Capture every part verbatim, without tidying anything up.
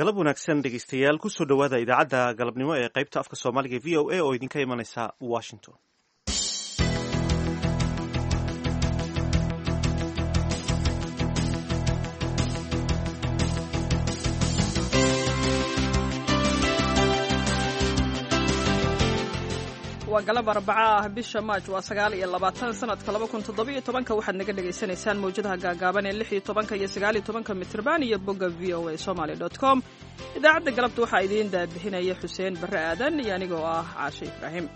Galab wanaagsan, dhegeystayaal. Kusoo dhowaada idaacadda galabnimo ee qaybta afka Soomaaliga V O A oo idinka imanaysa Washington. Waa galab Arbaca ah, bisha Maaj waa sagaal iyo labaatan, sanadka laba kun toddobiyo tobanka. Waxaad naga dhagaysanaysaan mawjadaha gaagaaban ee lix iyo tobanka iyo sagaal iyo tobanka mitrban iyo bogga V O A Somaly dot com. Idaacadda galabta waxaa idiin daabixinaya Xuseen Barre Aadan iyo anigoo ah Caashe Ibraahim.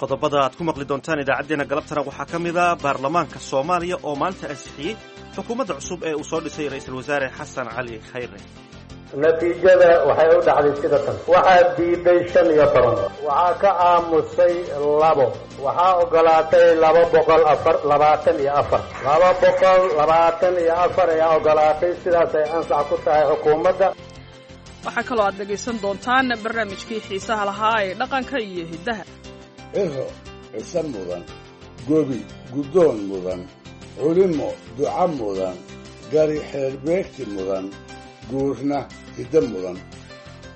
Qodobada aad ku maqli doontaan idaacaddeenna galabtana waxaa ka mid a baarlamaanka Soomaaliya oo maanta ansixiyey xukuumadda cusub ee uu soo dhisay Ra'iisul Wasaare Xasan Cali Khayre. Natiijada waxay u dhacday sida tan: waxaa diiday shan iyo toban, waxaa ka aamusay labo, waxaa ogolaatay laba boqol afar labaatan iyo afar laba boqol labaatan iyo afar ayaa ogolaatay. Sidaasay ansax ku tahay xukuumadda. Waxaa kaloo aad dhegaysan doontaan barnaamijkii xiisaha lahaa ee dhaqanka iyo hiddaha. Ciro cise mudan, gobi guddoon mudan, culimo duca mudan, gari xeerbeegti mudan, guurna hiddo mudan.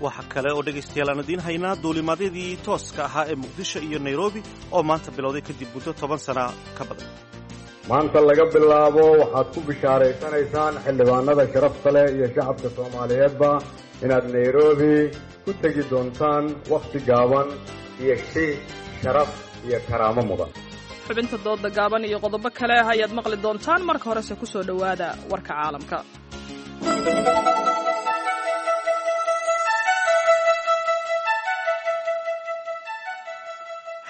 Waxa kale oo dhegaystayaal aan idiin haynaa duulimaadyadii tooska ahaa ee Muqdisho iyo Nairobi oo maanta bilowday kadib muddo toban sana ka badan. Maanta laga bilaabo waxaad ku bishaaraysanaysaan, xildhibaanada sharafta leh iyo shacabka Soomaaliyeedba, inaad Nairobi ku tegi doontaan wakhti gaaban iyo si sharaf iyo karaamo mudan. Xubinta dooda gaaban iyo qodobo kale ayaad maqli doontaan. Marka horese ku soo dhowaada warka caalamka.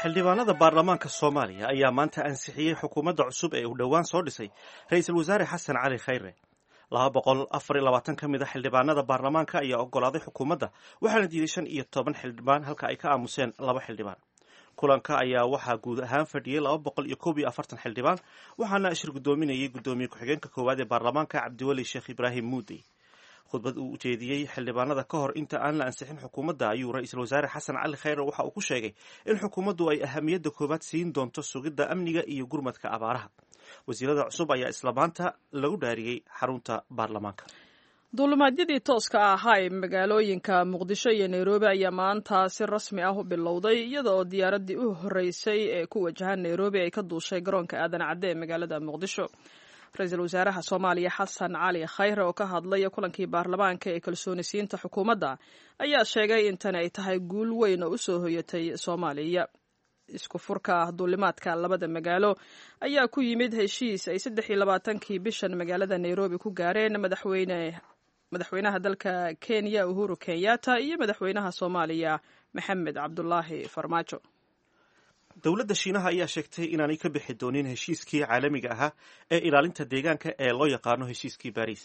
Xildhibaanada baarlamaanka Soomaaliya ayaa maanta ansixiyey xukuumadda cusub ee uu dhowaan soo dhisay Ra'iisul Wasaare Xasan Cali Khayre. Laba boqol afar iyo labaatan ka mid a xildhibaanada baarlamaanka ayaa ogolaaday xukuumadda, waxaana diiday shan iyo toban xildhibaan, halka ay ka aamuseen laba xildhibaan. Kulanka ayaa waxaa guud ahaan fadhiyey laba boqol iyo koob iyo afartan xildhibaan, waxaana shir guddoominayay guddoomiye ku-xigeenka koowaad ee baarlamaanka, Cabdiweli Sheekh Ibraahim Muudey. Khudbad uu ujeediyey xildhibaanada ka hor inta aan la ansixin xukuumadda ayuu Ra'iisul Wasaare Xasan Cali Khayre waxa uu ku sheegay in xukuumaddu ay ahamiyadda koowaad siin doonto sugidda amniga iyo gurmadka abaaraha. Wasiirada cusub ayaa isla maanta lagu dhaariyey xarunta baarlamaanka. Duulimaadyadii tooska ahaa ee magaalooyinka Muqdisho iyo Nairobi ayaa maanta si rasmi ah u bilowday, iyada oo diyaaraddii u horreysay ee ku wajahan Nairobi ay ka duushay garoonka Aadan Cadde ee magaalada Muqdisho. Ra-iisul Wasaaraha Soomaaliya Xasan Cali Khayre oo ka hadlay kulankii baarlamaanka ee kalsoonisiinta xukuumadda ayaa sheegay in tani ay tahay guul weyn oo usoo hoyatay Soomaaliya. Isku furka duulimaadka labada magaalo ayaa ku yimid heshiis ay saddex iyo labaatankii bishan magaalada Nairobi ku gaareen madaxweyne madaxweynaha dalka Kenya Uhuru Kenyatta iyo madaxweynaha Soomaaliya Maxamed Cabdulaahi Farmaajo. Dowladda Shiinaha ayaa sheegtay inaanay ka bixi doonin heshiiskii caalamiga ahaa ee ilaalinta deegaanka ee loo yaqaano heshiiskii Baariis.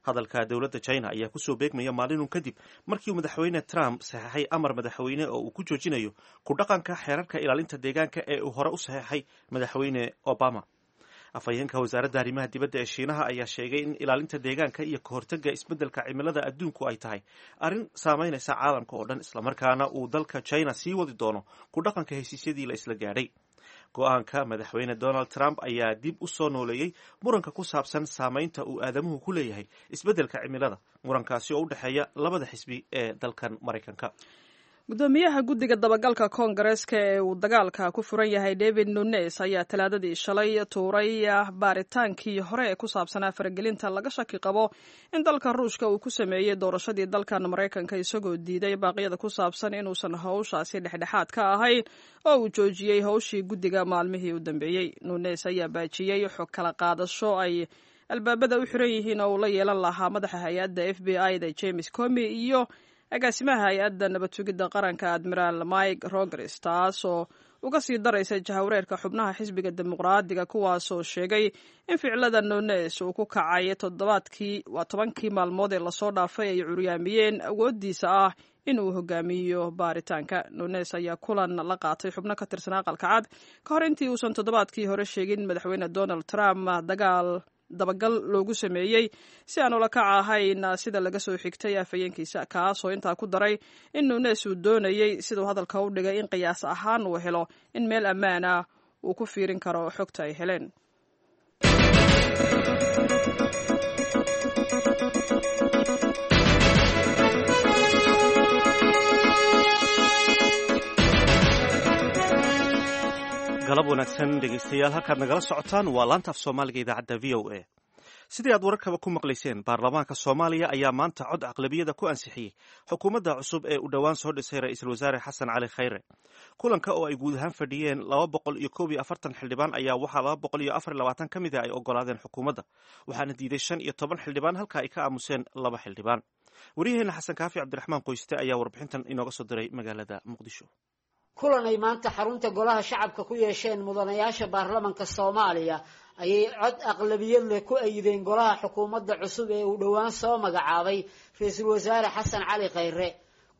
Hadalka dowladda China ayaa kusoo beegmaya maalinun kadib markii uu Madaxweyne Trump saxeexay amar madaxweyne oo uu ku joojinayo ku dhaqanka xeerarka ilaalinta deegaanka ee uu hore u saxeexay Madaxweyne Obama. Afhayeenka wasaaradda arrimaha dibadda ee Shiinaha ayaa sheegay in ilaalinta deegaanka iyo kahortagga isbeddelka cimilada adduunku ay tahay arrin saameynaysa caalamka oo dhan, islamarkaana uu dalka China sii wadi doono ku dhaqanka heshiisyadii la isla gaadhay. Go-aanka Madaxweyne Donald Trump ayaa dib u soo nooleeyey muranka ku saabsan saameynta uu aadamuhu ku leeyahay isbeddelka cimilada, murankaasi oo u dhexeeya labada xisbi ee dalkan Maraykanka. Gudoomiyaha guddiga dabagalka Koongareeska ee uu dagaalka ku furan yahay, David Nunes, ayaa Talaadadii shalay tuuray baaritaankii hore ee ku saabsanaa faragelinta laga shaki qabo in dalka Ruushka uu ku sameeyey doorashadii dalkan Maraykanka, isagoo diiday baaqyada ku saabsan inuusan howshaasi dhexdhexaad ka ahayn oo uu joojiyey howshii guddiga maalmihii u dambeeyey. Nunes ayaa baajiyey xog kala qaadasho ay albaabada u xiran yihiin oo uu la yeelan lahaa madaxa hay-adda F B I da James Comey iyo agaasimaha hay-adda nabad sugidda qaranka, Admiraal Mike Rogers, taasoo uga sii daraysa jahawareerka xubnaha xisbiga Dimuqraadiga, kuwaasoo sheegay in ficilada Nunes uu ku kacay toddobaadkii waa tobankii maalmood ee lasoo dhaafay ay curyaamiyeen awooddiisa ah in uu hogaamiyo baaritaanka. Nunes ayaa kulan la qaatay xubno ka tirsan Aqalka Cad ka hor intii uusan toddobaadkii hore sheegin Madaxweyne Donald Trump dagaal dabagal loogu sameeyey si aan ula kac ahayn, sida laga soo xigtay afhayeenkiisa, kaasoo intaa ku daray in Nunes uu doonayey, siduu hadalka u dhigay, in qiyaas ahaan uu helo in meel ammaan ah uu ku fiirin karo xogta ay heleen. Galab wanaagsan dhegeystayaal, halkaad nagala socotaan waa laanta af Soomaaliga idaacadda V O A. Sidii aad wararkaba ku maqlayseen, baarlamaanka Soomaaliya ayaa maanta cod aqlabiyada ku ansixiyey xukuumadda cusub ee uu dhowaan soo dhisay ra-iisul wasaare Xasan Cali Khayre. Kulanka oo ay guud ahaan fadhiyeen laba boqol iyo koob iyo afartan xildhibaan ayaa waxaa laba boqol iyo afar iyo labaatan ka mid a ay ogolaadeen xukuumadda, waxaana diiday shan iyo toban xildhibaan, halka ay ka aamuseen laba xildhibaan. Waryaheena Xasan Kaafi Cabdiraxmaan Qoyste ayaa warbixintan inooga soo diray magaalada Muqdisho. Kulan ay maanta xarunta Golaha Shacabka ku yeesheen mudanayaasha baarlamanka Soomaaliya ayay cod aqlabiyad leh ku ayideen golaha xukuumadda cusub ee uu dhowaan soo magacaabay ra-iisul wasaare Xasan Cali Khayre.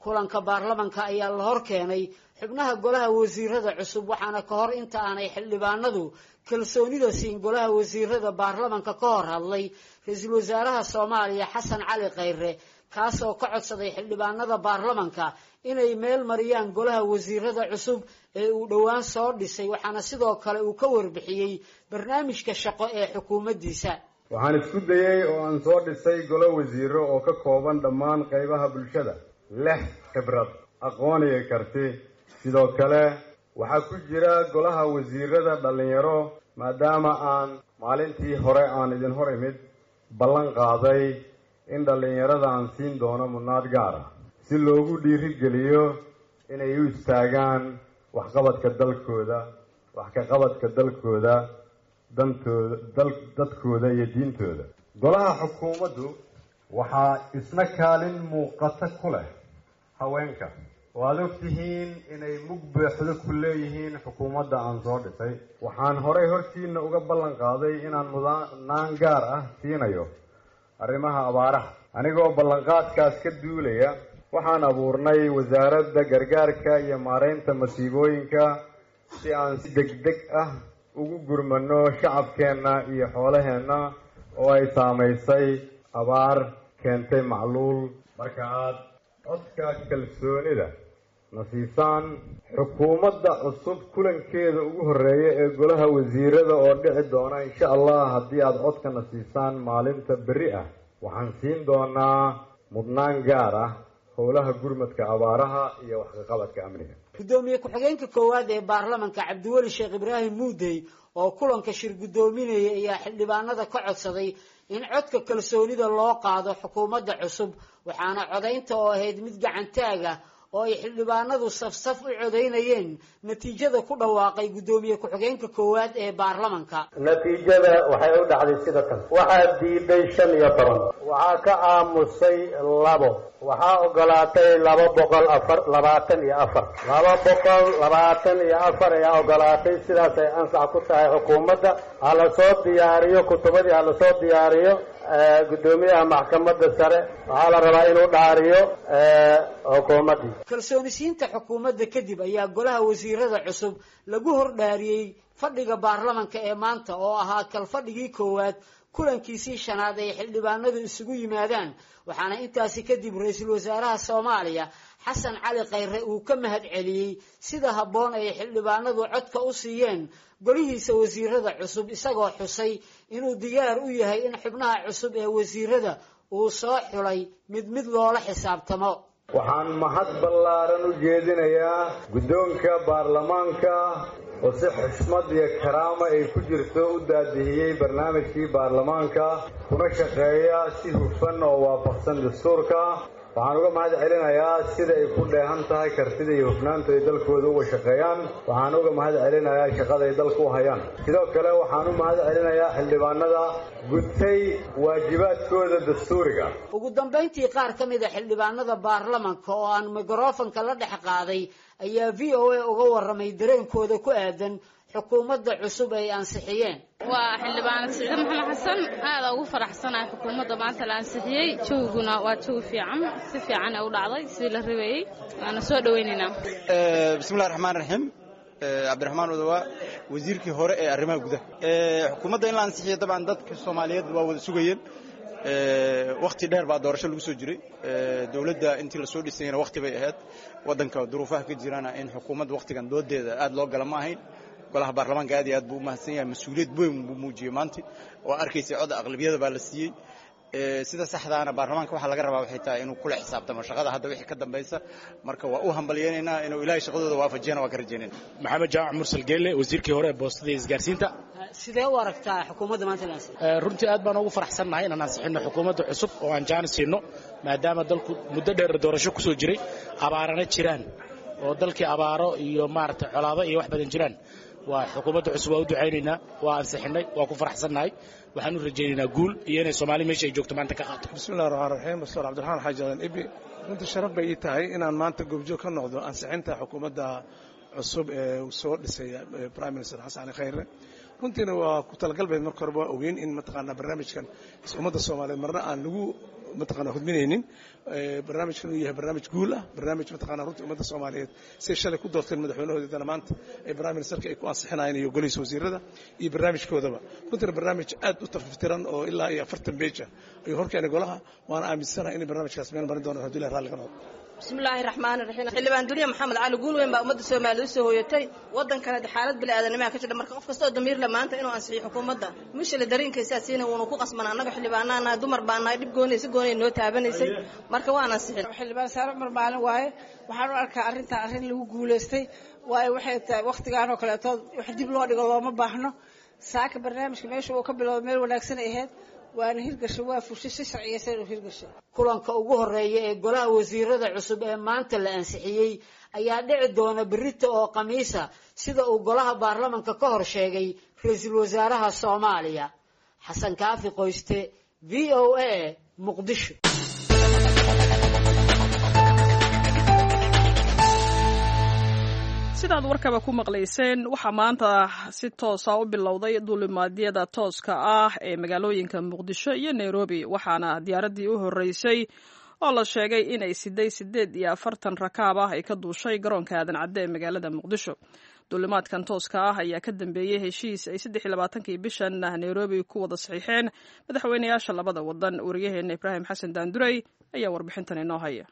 Kulanka baarlamanka ayaa la hor keenay xubnaha golaha wasiirada cusub, waxaana ka hor inta aanay xildhibaanadu kalsoonida siin golaha wasiirada baarlamanka ka hor hadlay ra-iisul wasaaraha Soomaaliya Xasan Cali Khayre, kaasoo ka codsaday xildhibaanada baarlamanka inay meel mariyaan golaha wasiirada cusub ee uu dhowaan soo dhisay, waxaana sidoo kale uu ka warbixiyey barnaamijka shaqo ee xukuumaddiisa. Waxaan isku dayey oo aan soo dhisay golo wasiiro oo ka kooban dhammaan qaybaha bulshada, leh khibrad, aqoon iyo karti. Sidoo kale waxaa ku jira golaha wasiirada dhallinyaro, maadaama aan maalintii hore aan idin hor imid ballan qaaday in dhallinyarada aan siin doono mudnaad gaar ah, si loogu dhiirigeliyo inay u istaagaan waxqabadka dalkooda, wax ka qabadka dalkooda, dantooda, dal dadkooda iyo diintooda. Golaha xukuumaddu waxaa isna kaalin muuqata ku leh haweenka, oo aad og tihiin inay mug buuxdo ku leeyihiin xukuumadda aan soo dhisay. Waxaan horey hortiina uga ballan qaaday inaan mudnaan gaar ah siinayo arrimaha abaaraha. Anigoo ballanqaadkaas ka duulaya, waxaan abuurnay Wasaaradda Gargaarka iyo Maareynta Masiibooyinka, si aan si degdeg ah ugu gurmano shacabkeenna iyo xoolaheenna oo ay saamaysay abaar keentay macluul. Marka aad codka kalsoonida na siisaan, xukuumadda cusub kulankeeda ugu horreeya ee golaha wasiirada oo dhici doona insha Allah, haddii aad codka na siisaan maalinta berri ah, waxaan siin doonaa mudnaan gaar ah howlaha gurmadka abaaraha iyo waxkaqabadka amniga. Guddoomiye ku-xigeenka koowaad ee baarlamanka Cabdiweli Sheekh Ibraahim Muudey oo kulanka shir guddoominayay ayaa xildhibaanada ka codsaday in codka kalsoonida loo qaado xukuumadda cusub, waxaana codaynta oo ahayd mid gacantaag ah oo ay xildhibaanadu safsaf u codaynayeen natiijada ku dhawaaqay guddoomiye ku-xigeenka koowaad ee baarlamanka. Natiijada waxay u dhacday sida tan: waxaa diiday shan iyo toban, waxaa ka aamusay labo, waxaa ogolaatay laba boqol afar labaatan iyo afar. Laba boqol labaatan iyo afar ayaa ogolaatay. Sidaasay ansax ku tahay xukuumadda. Ha la soo diyaariyo kutubadii, ha la soo diyaariyo. Guddoomiyaha Maxkamadda Sare waxaa la rabaa inuu dhaariyo xukuumaddii. Kalsoonisiinta xukuumadda kadib ayaa golaha wasiirada cusub lagu hordhaariyey fadhiga baarlamanka ee maanta oo ahaa kalfadhigii koowaad kulankiisii shanaad ay xildhibaanadu isugu yimaadaan, waxaana intaasi kadib ra-iisul wasaaraha Soomaaliya Xasan Cali Khayre uu ka mahad celiyey sida habboon ay xildhibaanadu codka u siiyeen golihiisa wasiirada cusub, isagoo xusay inuu diyaar u yahay in xubnaha cusub ee wasiirada uu soo xulay mid mid loola xisaabtamo. Waxaan mahad ballaaran u jeedinayaa guddoonka baarlamaanka oo si xushmad iyo karaama ay ku jirto u daadihiyey barnaamijkii baarlamaanka, kuna shaqeeya si hufan oo waafaqsan dastuurka. Waxaan uga mahad celinayaa sida ay ku dheehan tahay kartida iyo hufnaanta ay dalkooda uga shaqeeyaan. Waxaan uga mahad celinayaa shaqada ay dalka u hayaan. Sidoo kale waxaan u mahad celinayaa xildhibaanada gutay waajibaadkooda dastuuriga. Ugu dambayntii, qaar ka mid a xildhibaanada baarlamanka oo aan mikrofonka la dhex qaaday ayaa V O A uga warramay dareenkooda ku aadan xukuumadda cusub ay ansixiyeen. Waa xildhibaanad Siciide Maxamed Xasan. Aada ugu faraxsanahay xukuumadda maanta la ansixiyey. Jawguna waa jawi fiican, si fiican ee u dhacday sidii la rabeeyey, waana soo dhoweynaynaa. Bismillahi raxmaan raxiim. Cabdiraxmaan Odowa, Wasiirkii hore ee arrimaha gudaha. Xukuumadda in la ansixiyo dabcan dadka Soomaaliyeed waa wada sugayeen. Wakhti dheer baa doorasho lagu soo jiray. Dowladda intii lasoo dhisayna wakhti bay ahayd. Waddanka duruufaha ka jirana in xukuumadda wakhtigan doodeeda aad loo gala ma ahayn. Golaha baarlamaanka aad iyo aad buu u mahadsan yahay, mas-uuliyad weyn buu muujiyey maanta oo arkaysay cod aqlabiyada baa la siiyey. Sida saxdaana baarlamaanka waxaa laga rabaa waxay tahay inuu kula xisaabtamo shaqada hadda wixii ka dambaysa. Marka waa u hambalyaynaynaa inuu Ilaahay shaqadooda waafajiyana waa ka rajaynayna. Maxamed Jaamac Mursal Geelle, wasiirkii hore ee boostada iyo isgaarsiinta. Sidee u aragtaa xukuumadda maanta la ansixiyey? Runtii aad baan ugu faraxsannahay inaan ansixinno xukuumadda cusub oo aan jaanis siino, maadaama dalku muddo dheer doorasho kusoo jiray, abaarana jiraan oo dalkii abaaro iyo maaragtay colaado iyo wax badan jiraan. Waa xukuumadda cusub, waa u ducaynaynaa, waa ansixinnay, waa ku faraxsannahay, waxaan u rajaynaynaa guul iyo inay Soomaali meesha ay joogto maanta ka qaato. Bismillahi raxmaan raxiim. Doctor Cabdiraxmaan Xaaji Aadan Ibi, runtii sharaf bay ii tahay inaan maanta goobjoog ka noqdo ansixinta xukuumadda cusub ee uu soo dhisay Prime Minister Xasan Cali Khayre. Runtiina waa ku talagal bayd, marka horeba waa ogeyn in mataqaanaa barnaamijkan ummadda Soomaaliyeed marna aan lagu mataqaanaa hudminaynin, barnaamijkan uu yahay barnaamij guul ah, barnaamij mataqaanaa runtii ummadda Soomaaliyeed say shalay ku doorteen madaxweynahooda dana maanta ay prime ministerka ay ku ansixinayeen iyo golihiisa wasiirada iyo barnaamijkoodaba. Runtiina barnaamij aad u tafaftiran oo ilaa iyo afartan beej ah ayuu horkeenay golaha, waana aaminsanahay inay barnaamijkaas meel marin doonaan hadduu Ilahi raalli ka noqdo. Bismillaahi raxmaani raxiim. Xildhibaan Duniya Maxamed Cali, guul weyn baa ummadda Soomaaliya usoo hooyatay. Waddankana xaalad bili-aadanimaa ka jira, marka qof kasta oo damiir le maanta inuu ansixiyo xukuumadda mushila dareenkaysaa siina wuuna ku qasban. Annaga xildhibaanaanahay, dumar baa nahay, dhib goonay si goonay noo taabanaysay, marka waan ansixin. Xildhibaan Saare Cumar Maalin waaye. Waxaan u arkaa arrintan arrin lagu guulaystay, waayo waxay tahay wakhtigaan oo kaleeto wax dib loo dhigo looma baahno. Saaka barnaamijka meesha uu ka bilowda meel wanaagsan ay ahayd, waana hirgashay, waa fushay si sharciyeysan inuu hirgashay. Kulanka ugu horeeya ee golaha wasiirada cusub ee maanta la ansixiyey ayaa dhici doona berrito oo khamiisa, sida uu golaha baarlamanka ka hor sheegay ra-iisul wasaaraha Soomaaliya. Xasan Kaafi Qoyste, V O A, Muqdisho. Sidaad warkaba ku maqlayseen, waxaa maanta si toosa u bilowday duulimaadyada tooska ah ee magaalooyinka Muqdisho iyo Nairobi, waxaana diyaaraddii u horreysay oo la sheegay inay siday sideed iyo afartan rakaab ah ay ka duushay garoonka Aadan Cadde ee magaalada Muqdisho. Duulimaadkan tooska ah ayaa ka dambeeyey heshiis ay saddex iyo labaatankii bishan Nairobi ku wada saxiixeen madaxweynayaasha labada wadan. Wariyaheena Ibraahim Xasan Daandurey ayaa warbixintan inoo haya.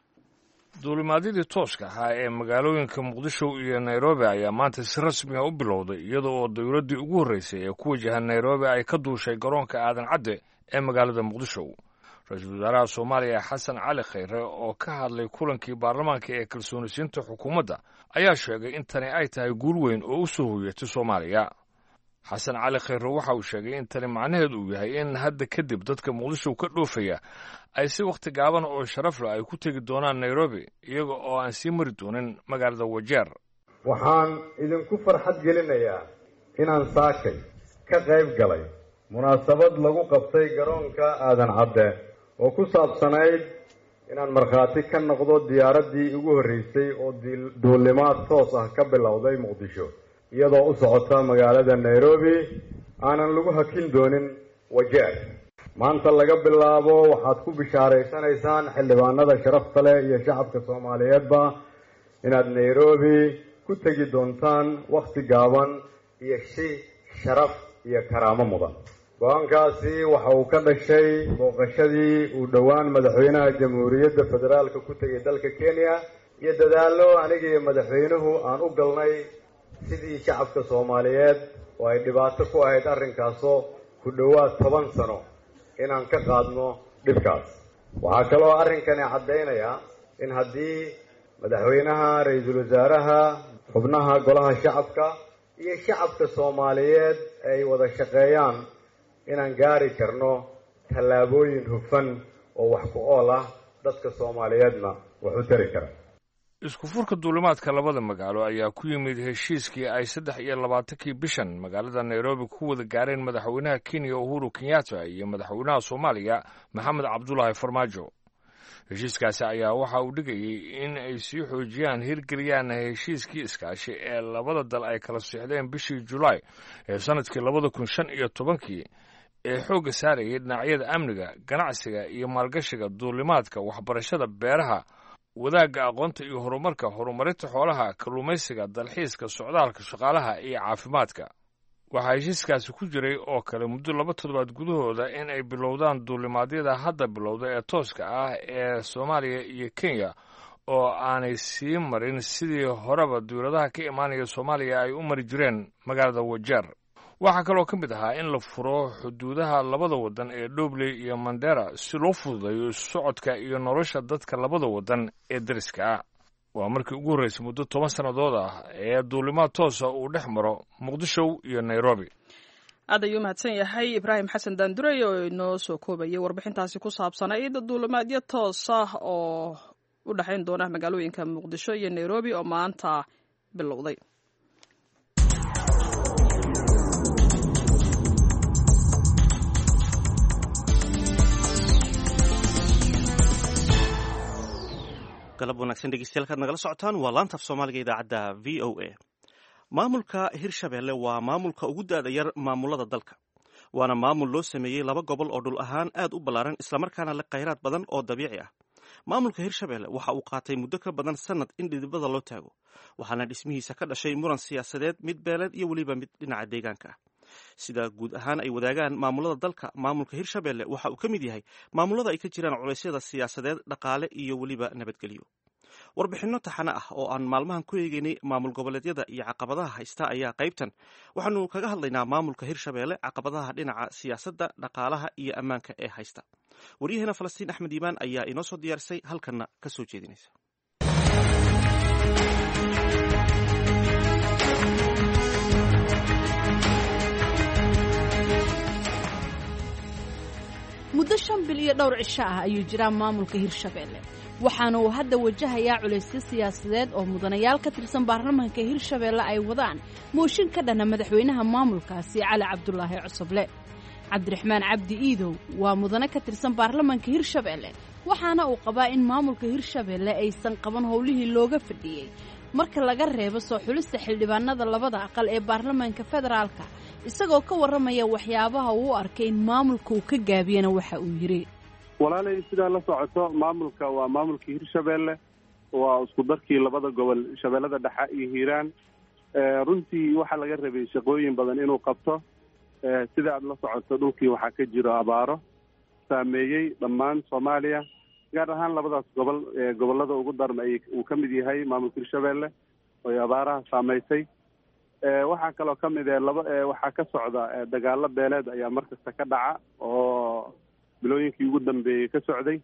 Duulimaadyadii tooska ahaa ee magaalooyinka Muqdisho iyo Nairobi ayaa maanta si rasmi ah u bilowday, iyada oo dowladdii ugu horreysay ee ku wajahan Nairobi ay ka duushay garoonka Aadan Cadde ee magaalada Muqdisho. Ra-iisul wasaaraha Soomaaliya Xasan Cali Khayre oo ka hadlay kulankii baarlamaanka ee kalsoonisiinta xukuumadda ayaa sheegay in tani ay tahay guul weyn oo u soo hoyatay Soomaaliya. Xasan Cali Khayre waxa uu sheegay in tani macnaheedu uu yahay in hadda kadib dadka Muqdisho ka dhoofaya ay si wakhti gaaban oo sharaf leh ay ku tegi doonaan Nairobi, iyaga oo aan sii mari doonin magaalada Wajeer. Waxaan idinku farxad gelinayaa inaan saakay ka qayb galay munaasabad lagu qabtay garoonka Aadan Cadde oo ku saabsanayd inaan markhaati ka noqdo diyaaraddii ugu horreysay oo duulimaad toos ah ka bilowday Muqdisho iyadoo u socota magaalada Nairobi, aanan lagu hakin doonin Wajeer. Maanta laga bilaabo waxaad ku bishaaraysanaysaan xildhibaanada sharafta leh iyo shacabka Soomaaliyeedba inaad Nairobi ku tegi doontaan wakhti gaaban iyo si sharaf iyo karaamo mudan. Go-aankaasi waxa uu ka dhashay booqashadii uu dhowaan madaxweynaha Jamhuuriyadda Federaalka ku tegay dalka Kenya iyo dadaallo aniga iyo madaxweynuhu aan u galnay sidii shacabka Soomaaliyeed oo ay dhibaato ku ahayd arrinkaasoo ku dhowaad toban sano inaan ka qaadno dhibkaas. Waxaa kaloo arrinkani caddaynaya in haddii madaxweynaha, ra-iisul wasaaraha, xubnaha golaha shacabka iyo shacabka Soomaaliyeed ay wada shaqeeyaan inaan gaari karno tallaabooyin hufan oo wax ku ool ah, dadka Soomaaliyeedna wax u tari kara. Isku furka duulimaadka labada magaalo ayaa ku yimid heshiiskii ay saddex iyo labaatankii bishan magaalada Nairobi ku wada gaareen madaxweynaha Kenya Uhuru Kenyatta iyo madaxweynaha Soomaaliya Maxamed Cabdulaahi Farmaajo. Heshiiskaasi ayaa waxa uu dhigayey in ay sii xoojiyaan hirgeliyaan heshiiskii iskaashi ee labada dal ay kala siixdeen bishii Julaay ee sannadkii labada kun shan iyo tobankii ee xoogga saarayay dhinacyada amniga, ganacsiga iyo maalgashiga, duulimaadka, waxbarashada, beeraha, wadaagga aqoonta iyo horumarka, horumarinta xoolaha, kalluumaysiga, dalxiiska, socdaalka, shaqaalaha iyo caafimaadka. Waxaa heshiiskaasi ku jiray oo kale muddo laba toddobaad gudahooda in ay bilowdaan duulimaadyada hadda bilowda ee tooska ah ee Soomaaliya iyo Kenya, oo aanay sii marin sidii horeba dowladaha ka imaanaya Soomaaliya ay u mari jireen magaalada Wajeer. Waxaa kaloo ka mid ahaa in la furo xuduudaha labada waddan ee Dhobley iyo Mandera si loo fududeeyo socodka iyo nolosha dadka labada waddan ee deriska ah. Waa markii ugu horreysay muddo toban sannadood ah ee duulimaad toosa uu dhex maro Muqdisho iyo Nairobi. Aad ayuu mahadsan yahay Ibraahim Xasan Daandurey oo inoo soo koobayay warbixintaasi ku saabsanayd duulimaadyo toos ah oo u dhexayn doona magaalooyinka Muqdisho iyo Nairobi oo maanta bilowday. Galab wanaagsan dhegeystayaal, kaad nagala socotaan waa laanta af Soomaaliga idaacadda V O A. Maamulka Hirshabelle waa maamulka ugu da'da yar maamulada dalka, waana maamul loo sameeyey laba gobol oo dhul ahaan aad u ballaaran, islamarkaana leh khayraad badan oo dabiici ah. Maamulka Hirshabelle waxa uu qaatay muddo ka badan sanad in dhidibada loo taago, waxaana dhismihiisa ka dhashay muran siyaasadeed, mid beeleed iyo weliba mid dhinaca deegaanka ah. Sida guud ahaan ay wadaagaan maamulada dalka, maamulka Hirshabelle waxa uu ka mid yahay maamulada ay ka jiraan culaysyada siyaasadeed, dhaqaale iyo weliba nabadgelyo. Warbixinno taxane ah oo aan maalmahan ku eegeynay maamul goboleedyada iyo caqabadaha haysta ayaa qaybtan waxaanu kaga hadlaynaa maamulka Hirshabelle, caqabadaha dhinaca siyaasadda, dhaqaalaha iyo ammaanka ee haysta. Waryaheena Falastiin Axmed Iimaan ayaa inoo soo diyaarisay, halkanna ka soo jeedinaysa. Muddo shan bil iyo dhowr cisho ah ayuu jiraa maamulka Hirshabelle, waxaana uu hadda wajahayaa culaysyo siyaasadeed oo mudanayaal ka tirsan baarlamaanka Hirshabelle ay wadaan mooshin ka dhana madaxweynaha maamulkaasi Cali Cabdulaahi Cusuble. Cabdiraxmaan Cabdi Iidow waa mudane ka tirsan baarlamaanka Hirshabelle, waxaana uu qabaa in maamulka Hirshabelle aysan qaban howlihii looga fadhiyey marka laga reebo soo xulista xildhibaanada labada aqal ee baarlamaanka federaalka. Isagoo ka warramaya waxyaabaha uu u arkay in maamulka uu ka gaabiyena waxa uu yidhi: Walaalay, sidaa la socoto, maamulka waa maamulkii Hirshabelle, waa isku darkii labada gobol, Shabeellada Dhexe iyo Hiiraan. Runtii waxaa laga rabay shaqooyin badan inuu qabto. Sida aada la socoto, dhulkii waxaa ka jiro abaaro saameeyey dhammaan Soomaaliya, gaar ahaan labadaas gobol. Gobollada ugu darma uu ka mid yahay maamulka Hirshabelle oy abaaraha saameysay. Waxaa kaloo ka mid eh laba waxaa ka socda dagaalo beeleed ayaa markasta ka dhaca oo bilooyinkii ugu dambeeyey ka socday.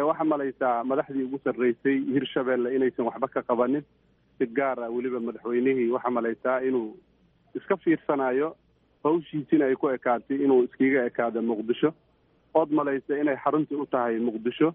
Waxaa malaysaa madaxdii ugu sarreysay Hirshabelle inaysan waxba ka qabanin, si gaar ah weliba madaxweynihii waxaa malaysaa inuu iska fiirsanayo, hawshiisina ay ku ekaatay inuu iskaga ekaado Muqdisho, ood malaysa inay xaruntii u tahay Muqdisho.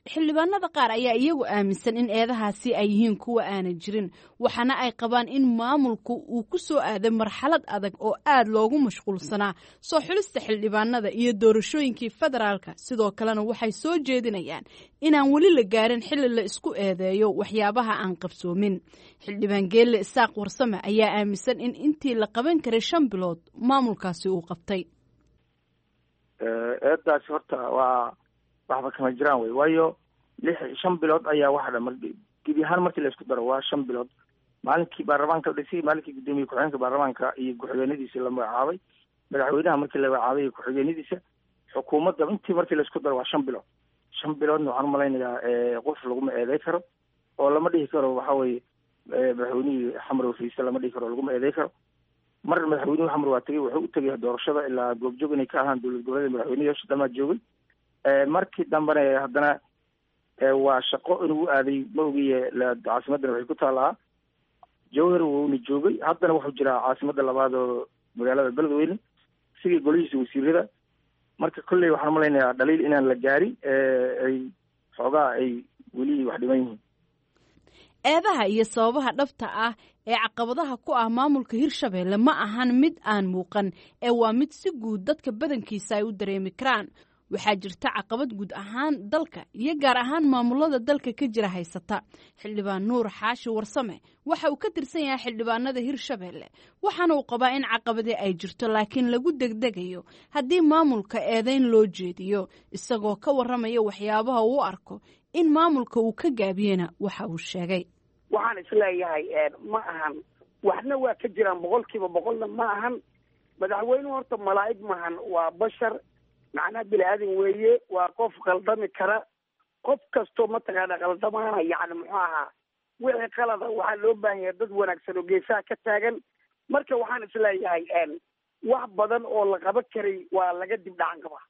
Xildhibaanada qaar ayaa iyagu aaminsan in eedahaasi ay yihiin kuwa aanan jirin, waxaana ay qabaan in maamulku uu ku soo aaday marxalad adag oo aad loogu mashquulsanaa soo xulista xildhibaanada iyo doorashooyinkii federaalka. Sidoo kalena waxay soo jeedinayaan inaan weli la gaarin xilli la isku eedeeyo waxyaabaha aan qabsoomin. Xildhibaan Geelle Isaaq Warsame ayaa aaminsan in intii la qaban karay shan bilood maamulkaasi uu qabtay. Eedaasi horta waa waxba kama jiraan wey, waayo lix shan bilood ayaa waxa dhan gebi ahaan markii la isku daro waa shan bilood. Maalinkii baarlamaanka la dhisay, maalinkii guddoomiye ku-xigeenka baarlamaanka iyo ku-xigeenadiisa la magacaabay, madaxweynaha markii la magacaabay iyo ku-xigeenadiisa, xukuumadda intii markii la isku daro waa shan bilood. Shan biloodna waxaan umalaynayaa qof laguma eeday karo oo lama dhihi karo waxa weye madaxweynihii Xamar Fiise lama dhihi karo, laguma eeday karo. Mar madaxweynuhu Xamar waa tegey, wuxuu u tegay doorashada ilaa goobjoog inay ka ahaan dowlad goboleed, madaxweynayaasha dhamaa joogay. Markii dambena haddana waa shaqo inuu aaday ma ogiye, caasimaddana waxay ku taalaa Jowhar, wuuna joogay. Haddana wuxuu jiraa caasimadda labaad oo magaalada Beledweyne, sidii golihiisa wasiirada. Marka kolley waxaan umalaynayaa dhaliil inaan la gaarin, ay xoogaa ay weli wax dhiman yihiin. Eedaha iyo sababaha dhabta ah ee caqabadaha ku ah maamulka Hirshabelle ma ahan mid aan muuqan ee waa mid si guud dadka badankiisa ay u dareemi karaan. Waxaa jirta caqabad guud ahaan dalka iyo gaar ahaan maamulada dalka ka jira haysata. Xildhibaan Nuur Xaashi Warsame waxa uu ka tirsan yahay xildhibaanada Hirshabelle, waxaana uu qabaa in caqabadii ay jirto laakiin lagu degdegayo haddii maamulka eedeyn loo jeediyo. Isagoo ka warramaya waxyaabaha uu u arko in maamulka uu ka gaabiyena waxa uu sheegay: Waxaan isleeyahay ma ahan Waxna waa ka jiraan, boqolkiiba boqolna ma ahan. Madaxweynuhu horta malaa'ig maahan, waa bashar, macnaha bini aadan weeye, waa qof qaldami kara. Qof kastoo mataqaana qaldamaana, yacni muxuu ahaa, wixii qalada waxaa loo baahan yahay dad wanaagsan oo geesaha ka taagan. Marka waxaan isleeyahay wax badan oo la qaban karay waa laga dib dhacan qabaa.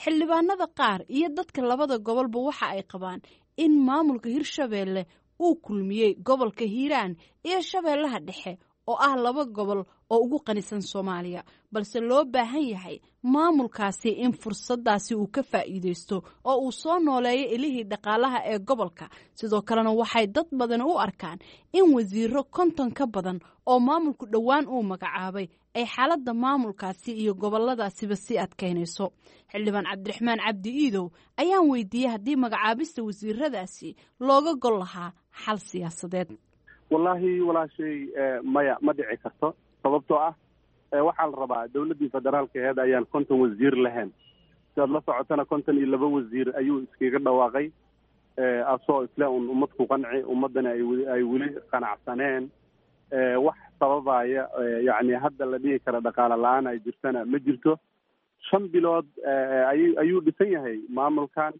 Xildhibaanada qaar iyo dadka labada gobolba waxa ay qabaan in maamulka Hirshabeelle uu kulmiyey gobolka Hiiraan iyo Shabeellaha Dhexe oo ah laba gobol oo ugu qanisan Soomaaliya, balse loo baahan yahay maamulkaasi in fursadaasi uu ka faa'iideysto oo uu soo nooleeyo ilihii dhaqaalaha ee gobolka. Sidoo kalena waxay dad badan u arkaan in wasiiro konton ka badan oo maamulku dhowaan uu magacaabay ay xaaladda maamulkaasi iyo goboladaasiba sii adkaynayso. Xildhibaan Cabdiraxmaan Cabdi Iidow ayaan weydiiyey haddii magacaabista wasiiradaasi looga gol lahaa xal siyaasadeed. Wallaahi walaashay, maya, ma dhici karto, sababtoo ah waxaa la rabaa dawladdii federaalka aheed ayaan konton wasiir lahayn. Sidaad la socotana, konton iyo laba wasiir ayuu iskaga dhawaaqay, asoo isle un ummad ku qanci, ummaddana ay weli qanacsaneen. Wax sababaya yacni hadda la dhihi kara dhaqaale la-aan ay jirtana ma jirto. Shan bilood ay ayuu dhisan yahay maamulkan.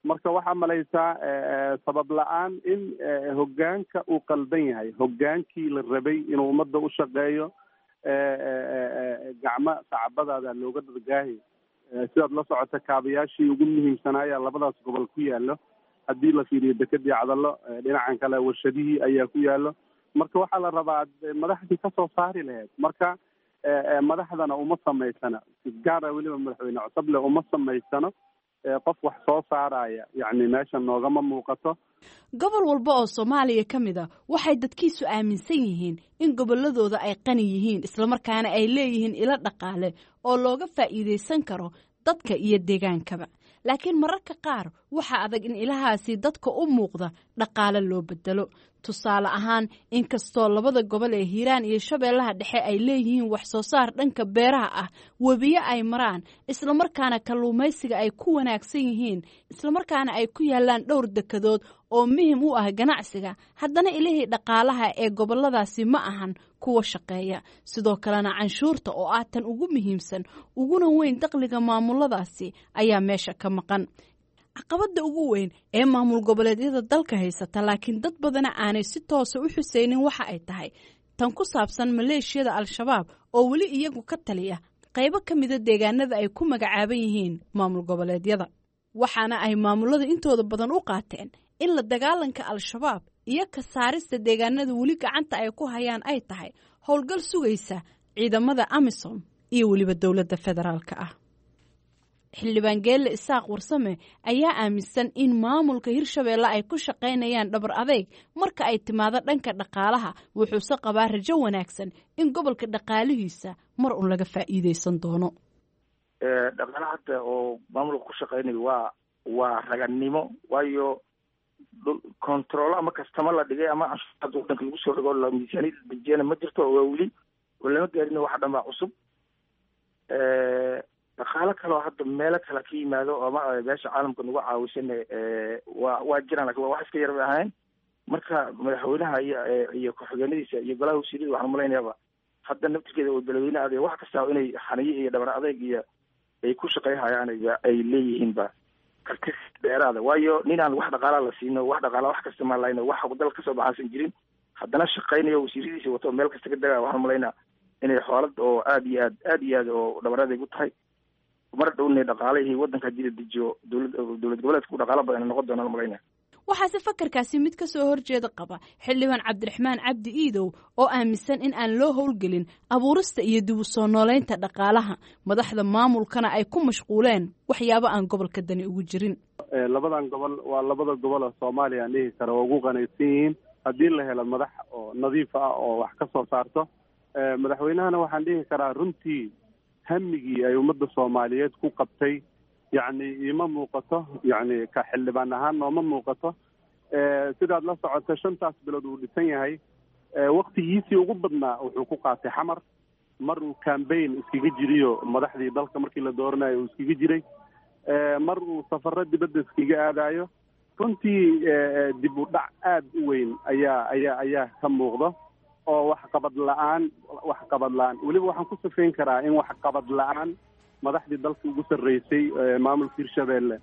Marka waxaa malaysaa sabab la-aan in hoggaanka uu qaldan yahay, hoggaankii la rabay inuu ummadda u shaqeeyo. Gacmo sacbadaada looga dadgaahi. Sidaad la socota, kaabayaashii ugu muhiimsanaayaa labadaas gobol ku yaallo. Haddii la fiiriyo dekedii Cadallo, dhinacan kale warshadihii ayaa ku yaallo. Marka waxaa la rabaa madaxdii kasoo saari lahayd. Marka madaxdana uma samaysana, si gaara weliba madaxweyne Cosoble uma samaysano qof wax soo saaraya, yacni meesha noogama muuqato. Gobol walba oo Soomaaliya ka mid a waxay dadkiisu aaminsan yihiin in gobolladooda ay qani yihiin, islamarkaana ay leeyihiin ilo dhaqaale oo looga faa'iidaysan karo dadka iyo deegaankaba. Laakiin mararka qaar waxaa adag in ilahaasi dadka u muuqda dhaqaale loo bedelo. Tusaale ahaan, inkastoo labada gobol ee Hiiraan iyo Shabeellaha Dhexe ay leeyihiin wax soo saar dhanka beeraha ah, webiyo ay maraan, islamarkaana kalluumaysiga ay ku wanaagsan yihiin, islamarkaana ay ku yaalaan dhowr dekadood oo muhim u ah ganacsiga, haddana ilihii dhaqaalaha ee goboladaasi ma ahan kuwa shaqeeya. Sidoo kalena canshuurta oo ah tan ugu muhiimsan uguna weyn dakhliga maamuladaasi ayaa meesha ka maqan. Caqabadda ugu weyn ee maamul goboleedyada dalka haysata, laakiin dad badana aanay si toosa u xuseynin, waxa ay tahay tan ku saabsan maleeshiyada Al-Shabaab oo weli iyagu ka taliya qaybo ka mida deegaanada ay ku magacaaban yihiin maamul goboleedyada. Waxaana ay maamulada intooda badan u qaateen in la dagaalanka Al-Shabaab iyo ka saarista deegaanada weli gacanta ay ku hayaan ay tahay howlgal sugaysa ciidamada AMISOM iyo weliba dowladda federaalka ah. Xildhibaan Geelle Isaaq Warsame ayaa aaminsan in maamulka Hirshabeelle ay ku shaqaynayaan dhabar adeyg marka ay timaado dhanka dhaqaalaha, wuxuuse qabaa rajo wanaagsan in gobolka dhaqaalihiisa mar un laga faa'iideysan doono. Dhaqaalaha hadda oo maamulka ku shaqaynayo waa waa raganimo, waayo controlo ama kastama la dhigay ama canshuurta wadanka lagu soo dhigo la miisaaniyad dejiyana ma jirto, waa weli oo lama gaarin, waxa dhan baa cusub. Dhaqaalo kaleo hadda meelo kale ka yimaado ama meesha caalamka nagu caawisana waa waa jiraan, lakin waa wax iska yar bay ahayn. Marka madaxweynaha iyo iyo ku-xigeenadiisa iyo golaha wasiirada waxaan malaynayaaba hadda naftirkeeda oo beledweyne adeeg wax kasta inay xaniyo iyo dhabar adeyg iyo ay ku shaqeyhayaan ay leeyihiinba karti dheeraada, waayo ninaan wax dhaqaalaa la siino, wax dhaqaala wax kasta maan lahayno, wax dal kasoo baxaasan jirin, haddana shaqeynayo wasiiradiisa wato meel kasta ka dagaa. Waxaan malaynaa inay xoolad oo aada iyo aad aada iyo aad oo dhabar adeyg u tahay. Mar dhowna dhaqaalihii waddanka haddii la dejiyo, dowlad dowlad goboleedka u dhaqaalo badan noqon doonaan malaynaya. Waxaase fakarkaasi mid ka soo horjeeda qaba xildhibaan Cabdiraxmaan Cabdi Iidow oo aaminsan in aan loo howlgelin abuurista iyo dib u soo nooleynta dhaqaalaha, madaxda maamulkana ay ku mashquuleen waxyaabo aan gobolka dani ugu jirin. Labadan gobol waa labada gobol oo Soomaaliya aan dhihi kara oo ugu qanaysan yihiin haddii la helo madax oo nadiif ah oo wax ka soo saarto. Madaxweynahana waxaan dhihi karaa runtii hamigii ay ummadda Soomaaliyeed ku qabtay yacni iima muuqato, yacni ka xildhibaan ahaan nooma muuqato. Sidaad la socoto, shantaas bilood uu dhisan yahay, waktigiisii ugu badnaa wuxuu ku qaatay Xamar. Mar uu cambaign iskaga jiriyo madaxdii dalka markii la dooranayo uu iskaga jiray, mar uu safaro dibadda iskaga aadayo. Runtii dib u dhac aada u weyn ayaa ayaa ayaa ka muuqda. oo waxqabad la-aan waxqabad la-aan weliba waxaan ku sifayn karaa in waxqabad la-aan madaxdii dalka ugu sarreysay maamulka Hirshabeelle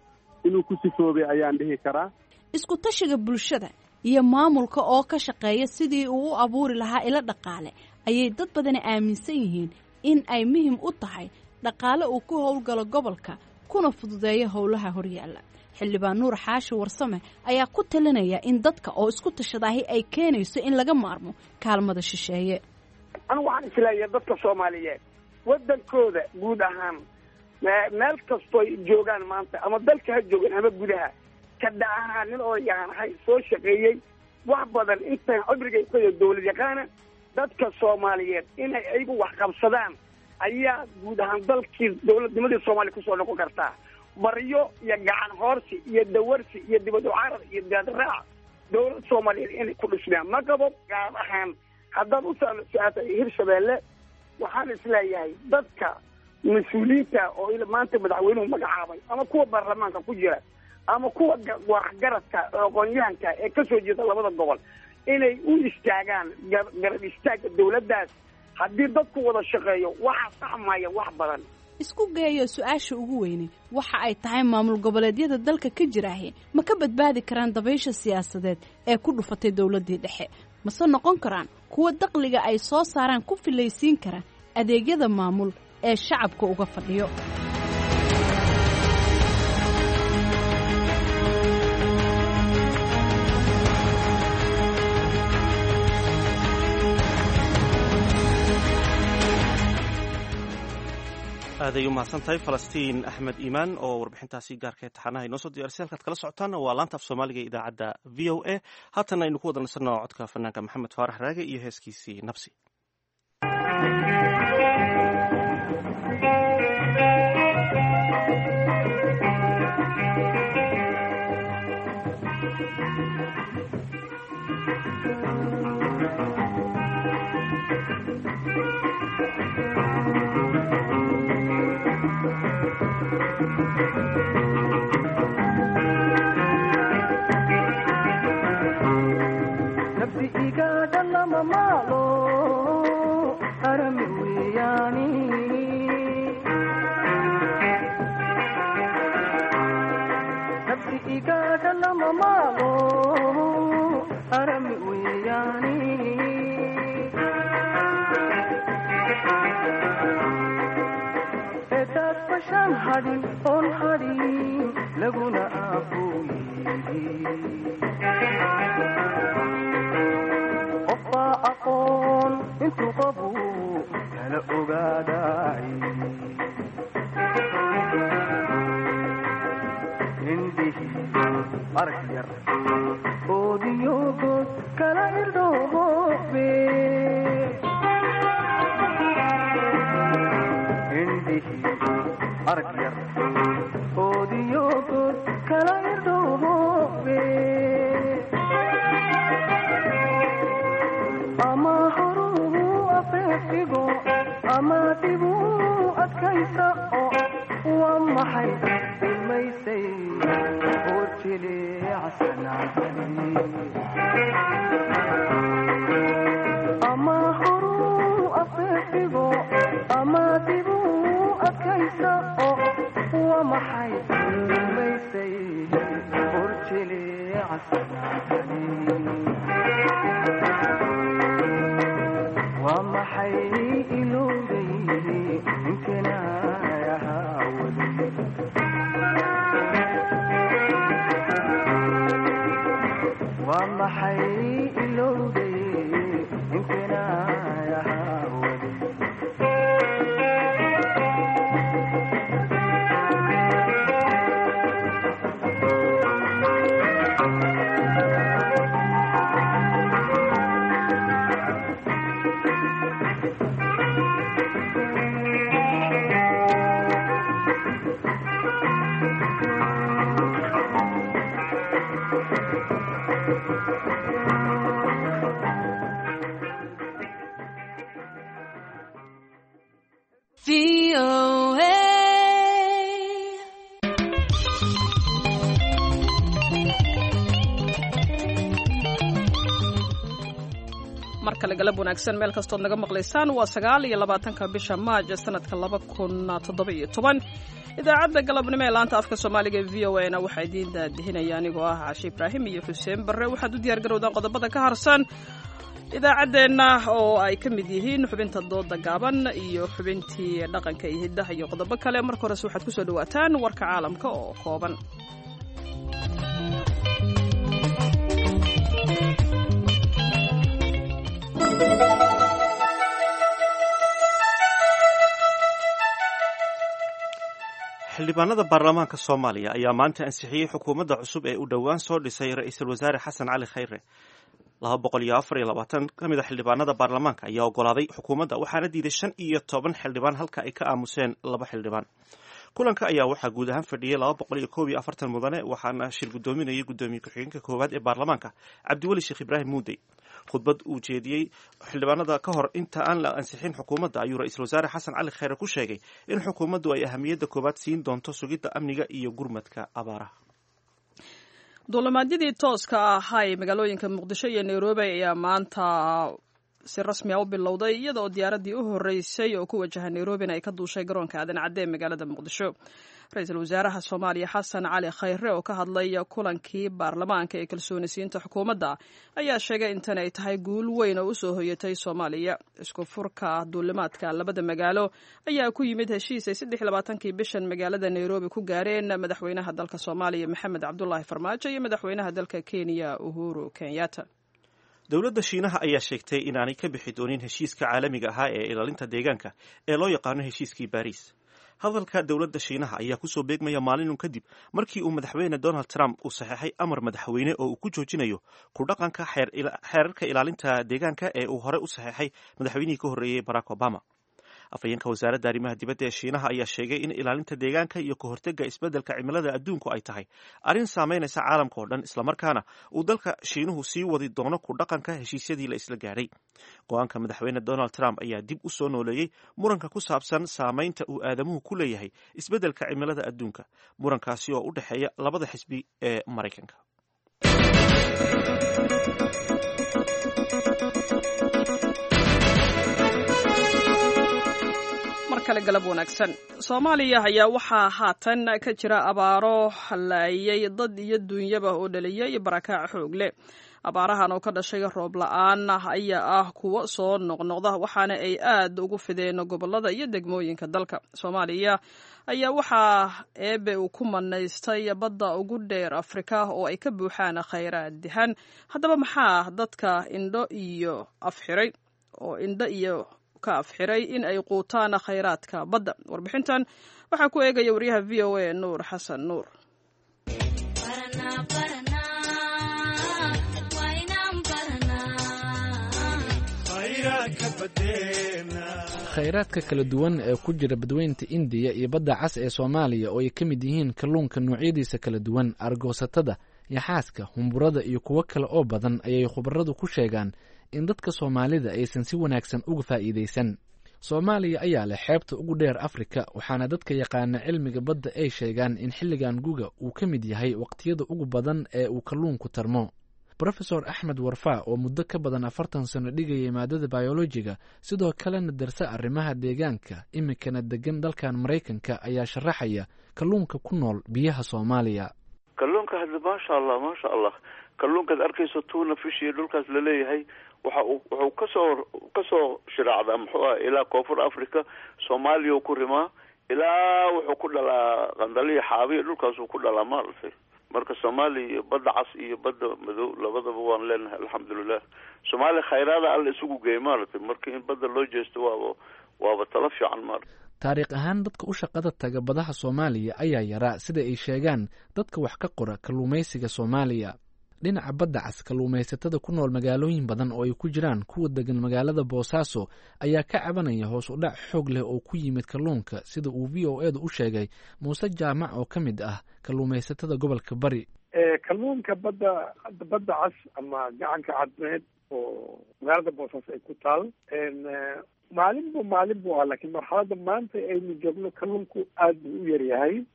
inuu ku sifoobay ayaan dhihi karaa. Isku tashiga bulshada iyo maamulka oo ka shaqeeya sidii uu u abuuri lahaa ilo dhaqaale ayay dad badani aaminsan yihiin in ay muhiim u tahay dhaqaale uu ku howlgalo gobolka kuna fududeeyo howlaha horyaalla. Xildhibaan Nuur Xaashi Warsame ayaa ku talinaya in dadka oo isku tashadaahi ay keenayso in laga maarmo kaalmada shisheeye. Anigu waxaan isleeyahay dadka Soomaaliyeed waddankooda guud ahaan meel kastooy joogaan maanta, ama dalka ha joogaan ama gudaha, ka dhacaha nin oo yaqaanahay soo shaqeeyey wax badan intaan cimrigay ku dowlad yaqaana, dadka Soomaaliyeed inay ayagu wax qabsadaan ayaa guud ahaan dalkii dowladnimadii Soomaaliya kusoo noqon kartaa. Baryo iyo gacan hoorsi iyo dawarsi iyo dibad u carar iyo daadraac dowlad Soomaaliyeed inay ku dhismaan ma qabo. Gaar ahaan haddaad u su-aashay Hirshabeelle, waxaan isleeyahay dadka mas-uuliyiinta oo maanta madaxweynuhu magacaabay ama kuwa baarlamaanka ku jira ama kuwa waxgaradka aqoon-yahanka ee kasoo jeeda labada gobol inay u istaagaan garab istaagga dowladdaas. Haddii dadku wada shaqeeyo waxaa saxmaya wax badan. Isku geeyo su-aasha ugu weyne waxa ay tahay maamul goboleedyada dalka ka jiraahi ma ka badbaadi karaan dabaysha siyaasadeed ee ku dhufatay dowladdii dhexe, mase noqon karaan kuwa daqliga ay soo saaraan ku filaysiin kara adeegyada maamul ee shacabka uga fadhiyo. Aaday u mahadsan tahay Falastiin Axmed Iimaan oo warbixintaasi gaarka taxanaha inoo soo diyaarisay. Halkaad kala socotaan waa laanta af Soomaaliga ee idaacadda V O A. Haatan aynu ku wada nasanno codka fanaanka Maxamed Faarax Raage iyo heeskiisii Nabsi. Kale galab wanaagsan meel kastood naga maqlaysaan. Waa sagaal iyo labaatanka bisha maaj sanadka laba kun toddoba iyo toban. Idaacadda galabnimo ee laanta afka soomaaliga ee V O A na waxaa idiin daadihinaya anigoo ah Caashe Ibraahim iyo Xuseen Barre. Waxaad u diyaar garowdaan qodobada ka harsan idaacaddeenna oo ay ka mid yihiin xubinta dooda gaaban iyo xubintii dhaqanka iyo hiddaha iyo qodobo kale. Marka horese waxaad kusoo dhawaataan warka caalamka oo kooban. Xildhibaanada baarlamaanka Soomaaliya ayaa maanta ansixiyey xukuumadda cusub ee uu dhowaan soo dhisay ra-iisul wasaare Xasan Cali Khayre. Laba boqol iyo afar iyo labaatan ka mid a xildhibaanada baarlamaanka ayaa ogolaaday xukuumadda, waxaana diiday shan iyo toban xildhibaan halka ay ka aamuseen laba xildhibaan. Kulanka ayaa waxaa guud ahaan fadhiyey laba boqol iyo koob iyo afartan mudane, waxaana shir guddoominayay guddoomiye ku-xigeenka koowaad ee baarlamaanka Cabdiweli Sheekh Ibraahim Muudey. Khudbad uu jeediyey xildhibaanada ka hor inta aan la ansixin xukuumadda ayuu ra-iisul wasaare Xasan Cali Khayre ku sheegay in xukuumaddu ay ahamiyadda koowaad siin doonto sugidda amniga iyo gurmadka abaaraha. Duulimaadyadii tooska ahaa ee magaalooyinka Muqdisho iyo Nairobi ayaa maanta si rasmi ah u bilowday, iyada oo diyaaraddii u horreysay oo ku wajaha Nairobina ay ka duushay garoonka Aadan Cadde ee magaalada Muqdisho. Ra-iisul wasaaraha Soomaaliya Xasan Cali Khayre oo ka hadlay kulankii baarlamaanka ee kalsoonisiinta xukuumadda ayaa sheegay intan ay tahay guul weyn oo usoo hoyatay Soomaaliya. Isku furka duulimaadka labada magaalo ayaa ku yimid heshiis ay saddex iyo labaatankii bishan magaalada Nairobi ku gaareen madaxweynaha dalka Soomaaliya Maxamed Cabdulaahi Farmaajo iyo madaxweynaha dalka Kenya Uhuru Kenyatta. Dowladda Shiinaha ayaa sheegtay inaanay ka bixi doonin heshiiska caalamiga ahaa ee ilaalinta deegaanka ee loo yaqaano heshiiskii Baariis. Hadalka dowladda Shiinaha ayaa kusoo beegmaya maalinun kadib markii uu madaxweyne Donald Trump uu saxeexay amar madaxweyne oo uu ku joojinayo ku dhaqanka xeerarka ilaalinta deegaanka ee uu hore u saxeexay madaxweynihii ka horreeyey Barack Obama. Afhayeenka wasaaradda arrimaha dibadda ee Shiinaha ayaa sheegay in ilaalinta deegaanka iyo ka hortagga isbeddelka cimilada adduunku ay tahay arrin saameynaysa caalamka oo dhan, islamarkaana uu dalka Shiinuhu sii wadi doono ku dhaqanka heshiisyadii la isla gaadhay. Go-aanka madaxweyne Donald Trump ayaa dib u soo nooleeyey muranka ku saabsan saameynta uu aadamuhu ku leeyahay isbeddelka cimilada adduunka, murankaasi oo u dhexeeya labada xisbi ee Maraykanka. Galab wanaagsan. Soomaaliya ayaa waxaa haatan ka jira abaaro halaayay dad iyo duunyaba oo dhaliyay barakaac xoog leh. Abaarahan oo ka dhashay roob la-aan ayaa ah kuwo soo noqnoqda, waxaana ay aad ugu fideen gobolada iyo degmooyinka dalka. Soomaaliya ayaa waxaa eebe uu ku manaystay badda ugu dheer Afrika oo ay ka buuxaan khayraad dihan. Haddaba maxaa dadka indho iyo afxiray oo indho iyo ka afxiray in ay quutaan khayraadka badda? Warbixintan waxaa ku eegaya wariyaha V O A Nuur Xasan Nuur. Khayraadka kala duwan ee ku jira badweynta Indiya iyo badda cas ee Soomaaliya oo ay ka mid yihiin kalluunka noocyadiisa kala duwan, argoosatada, yaxaaska, humburada iyo kuwo kale oo badan ayay khubaradu ku sheegaan in dadka Soomaalida aysan si wanaagsan uga faa'iidaysan. Soomaaliya ayaa leh xeebta ugu dheer Afrika, waxaana dadka yaqaana cilmiga badda ay sheegaan in xilligan guga uu ka mid yahay waqtiyada ugu badan ee uu kalluunku tarmo. Brofesor Axmed Warfaa oo muddo ka badan afartan sano dhigayay maadada bayolojiga, sidoo kalena darse arrimaha deegaanka, iminkana degan dalkan Maraykanka, ayaa sharaxaya kalluunka ku nool biyaha Soomaaliya. Kalluunka hadda maasha allah maasha allah, kalluunkaad arkayso tuna fish iyo dhulkaas laleeyahay waxa uu wuxuu kasoo kasoo shiraacdaa muxuu ah ilaa koonfur Africa, Soomaaliya ku rimaa ilaa wuxuu ku dhalaa qandaliya xaabiya dhulkaasuu ku dhalaa maaragtay. Marka Soomaaliya iyo badda cas iyo badda madow labadaba waan leenahay alxamdulilah. Soomaaliya khayraada alla isugu geey maaragtay, marka in badda loo jeesto waaba waaba talo fiican maaragtay. Taariikh ahaan dadka u shaqada taga badaha Soomaaliya ayaa yaraa, sida ay sheegaan dadka wax ka qora kalluumaysiga Soomaaliya. Dhinaca badda cas, kalluumaysatada ku nool magaalooyin badan oo ay ku jiraan kuwa degan magaalada Boosaaso ayaa ka cabanaya hoos u dhac xoog leh oo ku yimid kalluunka, sida uu V O A da u sheegay Muuse Jaamac oo ka mid ah kalluumaysatada gobolka Bari. Kalluunka badda badda cas ama gacanka cadmeed oo magaalada Boosaaso ay ku taal maalin bu maalin buu ahaa, laakiin marxaladda maanta aynu joogno kalluunku aada buu u yaryahay.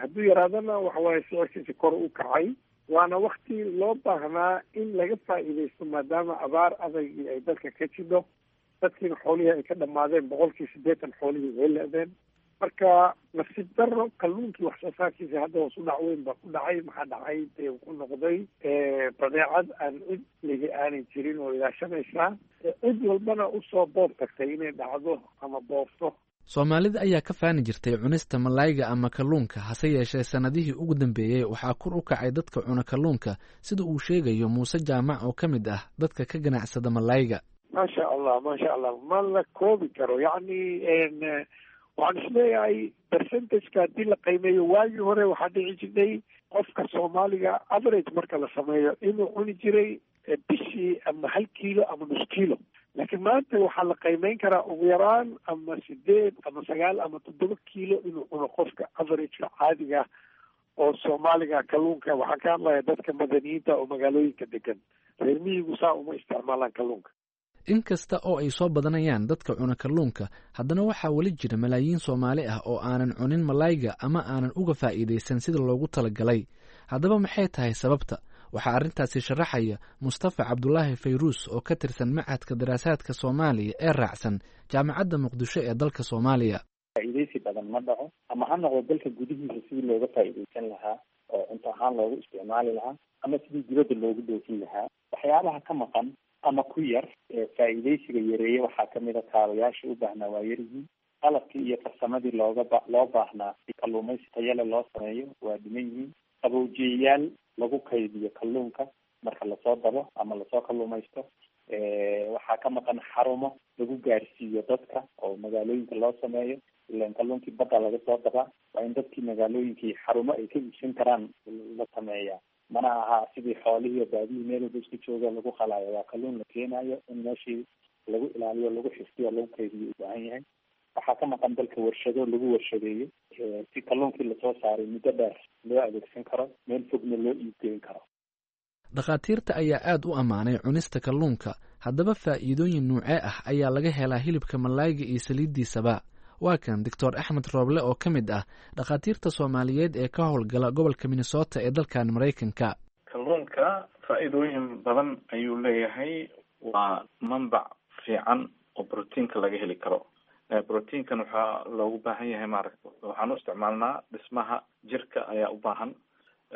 Hadduu yaraadana waxa waaye sicirkiisa kor u kacay. Waana wakti loo baahnaa in laga faa'iidaysto, maadaama abaar adaygii ay dalka ka jidho, dadkiina xoolihii ay ka dhamaadeen, boqolkii siddeetan xoolihii way le-deen. Marka nasiib daro kalluunkii wax soo saarkiisa hadda hoos u dhac weyn baa ku dhacay. Maxaa dhacay? Dee wuxuu noqday badeecad aan cid ligi aanay jirin oo ilaashanaysaa, cid walbana usoo boob tagtay inay dhacdo ama boobto. Soomaalida ayaa ka faani jirtay cunista malayga ama kalluunka, hase yeeshee sannadihii ugu dambeeyey waxaa kor u kacay dadka cuna kalluunka, sida uu sheegayo Muuse Jaamac oo ka mid ah dadka ka ganacsada malayga. Maasha Allah, maasha Allah, ma la koobi karo. Yacni waxaan isleeyahay percentageka haddii la qiimeeyo, waagii hore waxaa dhici jirtay qofka Soomaaliga average marka la sameeyo inuu cuni jiray bishii ama hal kiilo ama nus kiilo, laakiin maanta waxaa la qiimeyn karaa ugu yaraan ama sideed ama sagaal ama toddoba kiilo inuu cuno qofka averageka caadiga oo Soomaaliga kalluunka. Waxaan ka hadlayaa dadka madaniyiinta oo magaalooyinka degan, reer miyigu saa uma isticmaalaan kalluunka. Inkasta oo ay soo badanayaan dadka cuna kalluunka, haddana waxaa weli jira malaayiin Soomaali ah oo aanan cunin malayga ama aanan uga faa'iidaysan sida loogu talagalay. Haddaba maxay tahay sababta? Waxaa arrintaasi sharaxaya Mustafa Cabdulaahi Fayruus oo ka tirsan Machadka Daraasaadka Soomaaliya ee raacsan Jaamacadda Muqdisho ee dalka Soomaaliya. Faa'iidaysi badan ma dhaco, ama ha noqdo dalka gudihiisa sidii looga faa'iidaysan lahaa oo cunto ahaan loogu isticmaali lahaa, ama sidii dibadda loogu dhoofin lahaa. Waxyaabaha ka maqan ama ku yar ee faa'iidaysiga yareeye waxaa kamid a kaabayaasha u baahnaa waa yaryihiin, qalabkii iyo farsamadii looga ba loo baahnaa si kalluumaysi tayale loo sameeyo waa dhiman yihiin, qabowjiyayaal lagu kaydiyo kalluunka marka lasoo dabo ama lasoo kalluumaysto. Waxaa ka maqan xarumo lagu gaarsiiyo dadka oo magaalooyinka loo sameeyo, ilan kalluunkii badda laga soo dabaa, waa in dadkii magaalooyinkii xarumo ay ka iibsan karaan la sameeyaa. Mana aha sidii xoolihii baadihii meel walba isku jooga lagu qalaayo, waa kalluun la keenayo in meeshii lagu ilaaliyo, lagu xifdiyo, lagu kaydiyo u baahan yahay. Waxaa ka maqan dalka warshado lagu warshadeeyo si kalluunkii lasoo saaray muddo dheer loo adeegsan karo, meel fogna loo iibgeyn karo. Dhakhaatiirta ayaa aad u ammaanay cunista kalluunka. Haddaba faa'iidooyin nuucee ah ayaa laga helaa hilibka malayga iyo saliiddiisaba? Waa kan Doctor Axmed Rooble oo ka mid ah dhakhaatiirta Soomaaliyeed ee ka howlgala gobolka Minnesota ee dalkan Maraykanka. Kalluunka faa'iidooyin badan ayuu leeyahay. Waa manbac fiican oo brotiinka laga heli karo. Brotiinkan waxaa loogu baahan yahay, maaragta, waxaan u isticmaalnaa dhismaha jirka ayaa u baahan.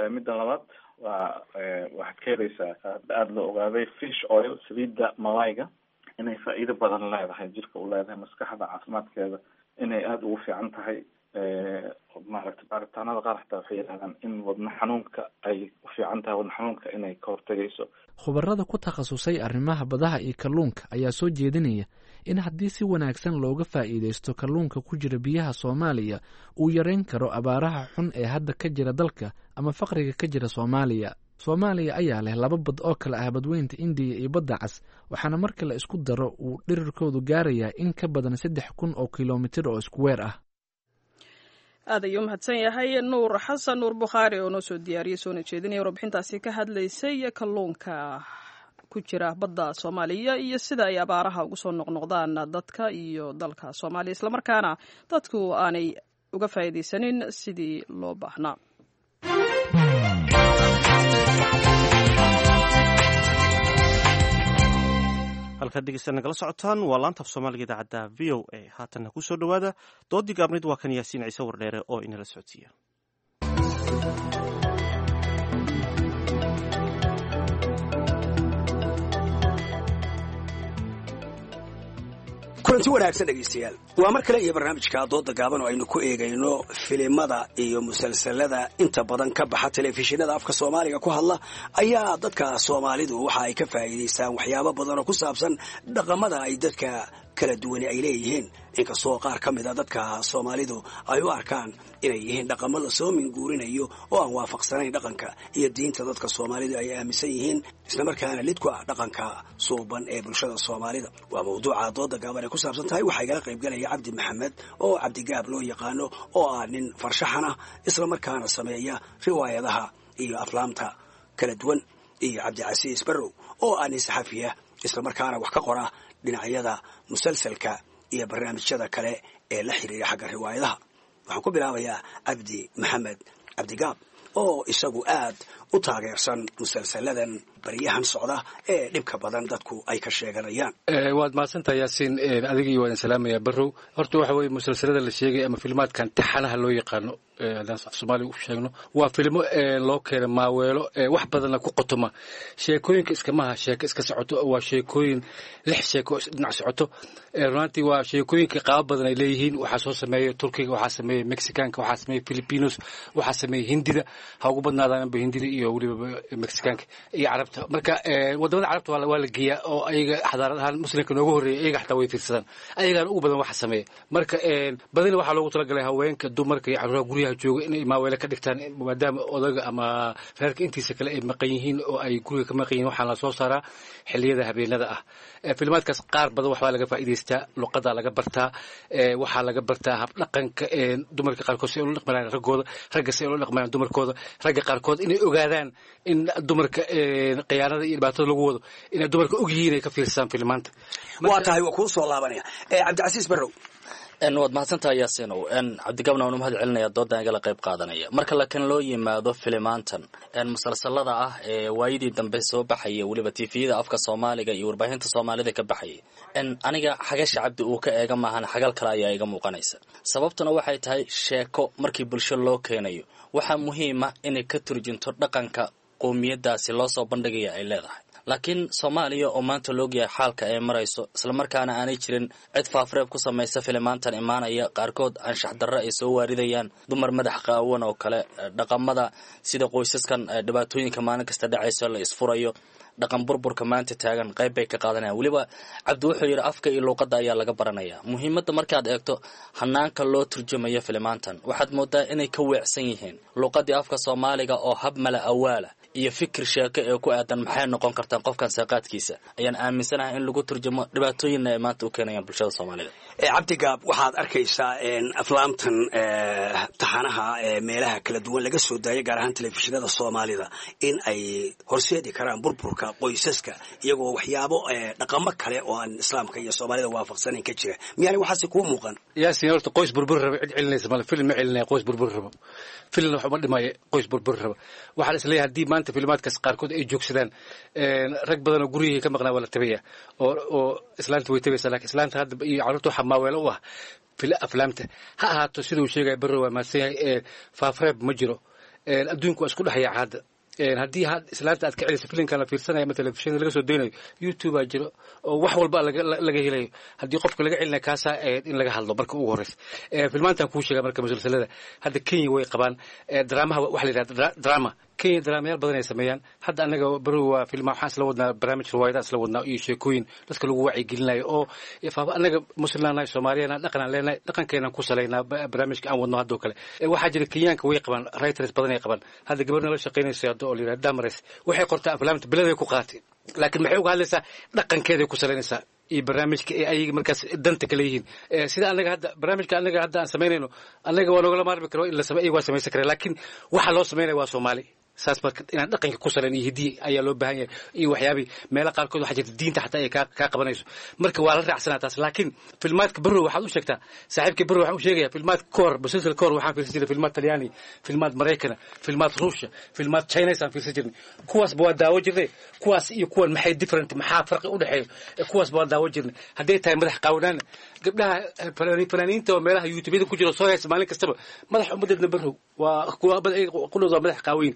Midda labaad waa waxaad ka helaysaa, aada loo ogaaday, fish oil, saliidda malayga, inay faa'iido badan leedahay jirka u leedahay, maskaxda caafimaadkeeda inay aada ugu fiican tahay. Maaragta, baaritaanada qaar xataa waxay yidhahdaan in wadna xanuunka ay u fiican tahay, wadna xanuunka inay ka hortagayso. Khubarada ku takhasusay arrimaha badaha iyo kalluunka ayaa soo jeedinaya in haddii si wanaagsan looga faa'iidaysto kalluunka ku jira biyaha Soomaaliya uu yareyn karo abaaraha xun ee hadda ka jira dalka ama faqriga ka jira Soomaaliya. Soomaaliya ayaa leh laba bad oo kale ah Badweynta Indiya iyo Badda Cas, waxaana marka la isku daro uu dhirirkoodu gaarayaa in ka badan saddex kun oo kilomitir oo iskuweer ah. Aad ayuu umahadsan yahay Nuur Xasan Nuur Bukhaari oo noo soo diyaariyey soona jeedinaya warbixintaasi ka hadlaysay kalluunka ku jira badda Soomaaliya iyo sida ay abaaraha ugu soo noqnoqdaan dadka iyo dalka Soomaaliya, islamarkaana dadku aanay uga faa'iidaysanin sidii loo baahnaa. Halkaad dhegeysta nagala socotaan waa laanta af Soomaaliga idaacadda V O A. Haatanna kusoo dhowaada doodii gaabnid. Waa kan Yaasiin Ciise Wardheere oo inala socodsiiya. Kulanti wanaagsan dhegaystayaal, waa mar kale iyo barnaamijka dooda gaaban oo aynu ku eegayno filimada iyo musalsalada inta badan ka baxa telefishinada afka Soomaaliga ku hadla. Ayaa dadka Soomaalidu waxa ay ka faa'iidaystaan waxyaabo badan oo ku saabsan dhaqamada ay dadka kala duwani ay leeyihiin, inkastoo qaar ka mid a dadka Soomaalidu ay u arkaan inay yihiin dhaqamo la soo minguurinayo oo aan waafaqsanayn dhaqanka iyo diinta dadka Soomaalidu ay aaminsan yihiin, islamarkaana lid ku ah dhaqanka suuban ee bulshada Soomaalida. Waa mawduuca dooda gaaban ay ku saabsan tahay. Waxaa igala qaybgalaya Cabdi Maxamed oo Cabdigaab loo yaqaano, oo ah nin farshaxan ah islamarkaana sameeya riwaayadaha iyo aflaamta kala duwan, iyo Cabdicasiis Barrow oo ah nin saxafiya islamarkaana wax ka qora dhinacyada musalsalka iyo barnaamijyada kale ee la xiriira xagga riwaayadaha. Waxaan ku bilaabayaa Cabdi Maxamed Cabdigaab oo isagu aad u taageersan musalsaladan baryahan socda ee dhibka badan dadku ay ka sheeganayaan. Waad mahadsantahay Yaasiin, adigii waa idin salaamaya Barrow. Horta waxa weeye musalsalada la sheegay ama filmaadkan taxanaha loo yaqaano haddaan af soomaaliga u sheegno, waa filmo loo keena maaweelo wax badanna ku qotoma. Sheekooyinka iskamaha sheeko iska socoto, waa sheekooyin lix sheeko dhinac socoto. Runaantii waa sheekooyinka qaabo badan ay leeyihiin. Waxaa soo sameeya Turkiga, waxaa sameeya Mexicaanka, waxaa sameeya Filipinos, waxaa sameeya Hindida, ha ugu badnaadaanba Hindida iyo weliba Mexicaanka iyo Carabta. Marka wadamada Carabta waa la geeyaa oo ayaga xadaarad ahaan muslimka nooga horreeya, iyaga xataa way fiirsadaan, ayagaana ugu badan waxa sameeya. Marka badina waxaa loogu talagalay haweenka, dumarka iyo carruuraha guryaha jooga inay maaweelo ka dhigtaan, maadaama odaga ama reerka intiisa kale ay maqan yihiin oo ay guriga ka maqan yihiin. Waxaa la soo saaraa xilliyada habeenada ah. Filmaadkaas qaar badan waxbaa laga faa'iidaystaa, luqadaa laga bartaa, waxaa laga bartaa habdhaqanka dumarka qaarkood si ay ula dhaqmayaan raggooda, ragga si ay ula dhaqmayaan dumarkooda, ragga qaarkood inay ogaadaan in dumarka khiyaanada iyo dhibaatada lagu wado, inay dumarka og yihiin ay ka fiirsadaan filmaanta. Waa tahay, waa kuu soo laabanaya Cabdicasiis Barrow. Waad mahadsantahay Yaasiinow. Cabdigaabna waan u mahad celinaya doodan igala qayb qaadanaya. Marka lakin loo yimaado filimaantan musalsalada ah ee waayadii dambe soo baxaya, weliba tifiyada afka soomaaliga iyo warbaahinta soomaalida ka baxayay, aniga xagasha Cabdi uu ka eega maahan, xagal kale ayaa iga muuqanaysa. Sababtuna waxay tahay sheeko markii bulsho loo keenayo waxaa muhiima inay ka turjunto dhaqanka qowmiyadaasi loo soo bandhigaya ay leedahay. Laakiin Soomaaliya oo maanta loogyahay xaalka ay marayso, islamarkaana aanay jirin cid faafreeb ku samaysa filimaantan imaanaya, qaarkood anshax darre ay soo waaridayaan, dumar madax qaawan oo kale, dhaqamada sida qoysaskan dhibaatooyinka maalin kasta dhacayso la isfurayo, dhaqan burburka maanta taagan qayb bay ka qaadanayaan. Weliba Cabdi wuxuu yidhi afka iyo luuqadda ayaa laga baranaya. Muhiimadda markaad eegto hanaanka loo turjumayo filimaantan, waxaad moodaa inay ka weecsan yihiin luuqaddii afka soomaaliga oo hab mala awaala iyo fikir sheeko ee ku aadan maxay noqon kartaan qofkan saaqaadkiisa ayaan aaminsanahay in lagu turjumo, dhibaatooyinna ay maanta u keenayaan bulshada soomaalida. Cabdigaab, waxaad arkaysaa aflaamtan taxanaha ee meelaha kala duwan laga soo daayay, gaar ahaan telefishinada soomaalida, in ay horseedi karaan burburka qoysaska, iyagoo waxyaabo dhaqamo kale oo aan islaamka iyo soomaalida waafaqsanayn ka jira. Miyaanay waxaasi kuu muuqan? Yaasin, horta qoys burbur raba cid celinaysa male. Film ma celinaya qoys burbur rabo, filmna wax uma dhimaya qoys burbur raba. Waxaa la isleeyahay haddii maanta filmaadkaas qaarkood ay joogsadaan, rag badan oo guryihii ka maqnaa waa la tabaya, oo oo islaanta way tabaysaa. Lakin islaanta hadda iyo carruurta waxaa maaweelo u ah aflaamta. Ha ahaato sida uu sheegaya Barrow, waa mahadsan yahay. Faafreeb ma jiro, adduunku waa isku dhex yaaca hadda. Haddii islaanta aad ka celiso filimkan la fiirsanaya ama telefishinka laga soo daynayo, YouTube aa jiro oo wax walba laga helayo. Haddii qofka laga celinaya kaasaa ahayd in laga hadlo marka ugu horreysa. Filmaantan kuu sheega marka musalsalada hadda Kenya way qabaan dramaha, waxa la yidhahda drama. Kenya dramayaal badan ay sameeyaan. Hadda anaga Barrow waa filma waxaan isla wadnaa barnaamij riwaayada isla wadnaa iyo sheekooyin dadka lagu wacyigelinayo oo anaga muslimnahay, Soomaaliyana dhaqanaan leenahay, dhaqankeenaan ku salaynaa barnaamijka aan wadno haddoo kale. Waxaa jira Kenyaanka way qabaan writers badan ay qabaan. Hadda gabarna la shaqaynaysa hadda oo la yidhahda Damares waxay qortaa aflaamta beleday ku qaaatay, laakiin maxay uga hadlaysaa? Dhaqankeeday ku salaynaysaa iyo barnaamijka ee ayaga markaas danta kale yihiin. Sida anaga hadda barnaamijka anaga hadda aan samaynayno, anaga waa noogala maarmi karo in la samey, iyaga waa samaysan kara, laakiin waxa loo samaynaya waa Soomaali. Saas marka inaan dhaqanka ku salayn iyo hidiye ayaa loo baahan yahay iyo waxyaabihii meelo qaarkood waxaa jirta diinta xataa ay kaa kaa qabanayso. Marka waa la raacsanaa taas. Laakiin filmaadka Barrow waxaad u sheegtaa saaxiibkii Barrow, waxaan u sheegayaa filmaadka ka hor, musalsal ka hor waxaan fiirsan jirnay filmaad Talyaani, filmaad Maraykana, filmaad Ruushya, filmaad Chinese aan fiirsan jirnay. Kuwaasba waa daawo jirnay. Kuwaas iyo kuwan maxay different, maxaa farqi u dhexeeyo? Kuwaasba waa daawo jirnay. Hadday tahay madax qaawanaana, gabdhaha fanaaniinta oo meelaha YouTubeyada ku jiro soo haysa maalin kastaba madax ummadeedna, Barrow, waa kuwa qudhooda waa madax qaawayin.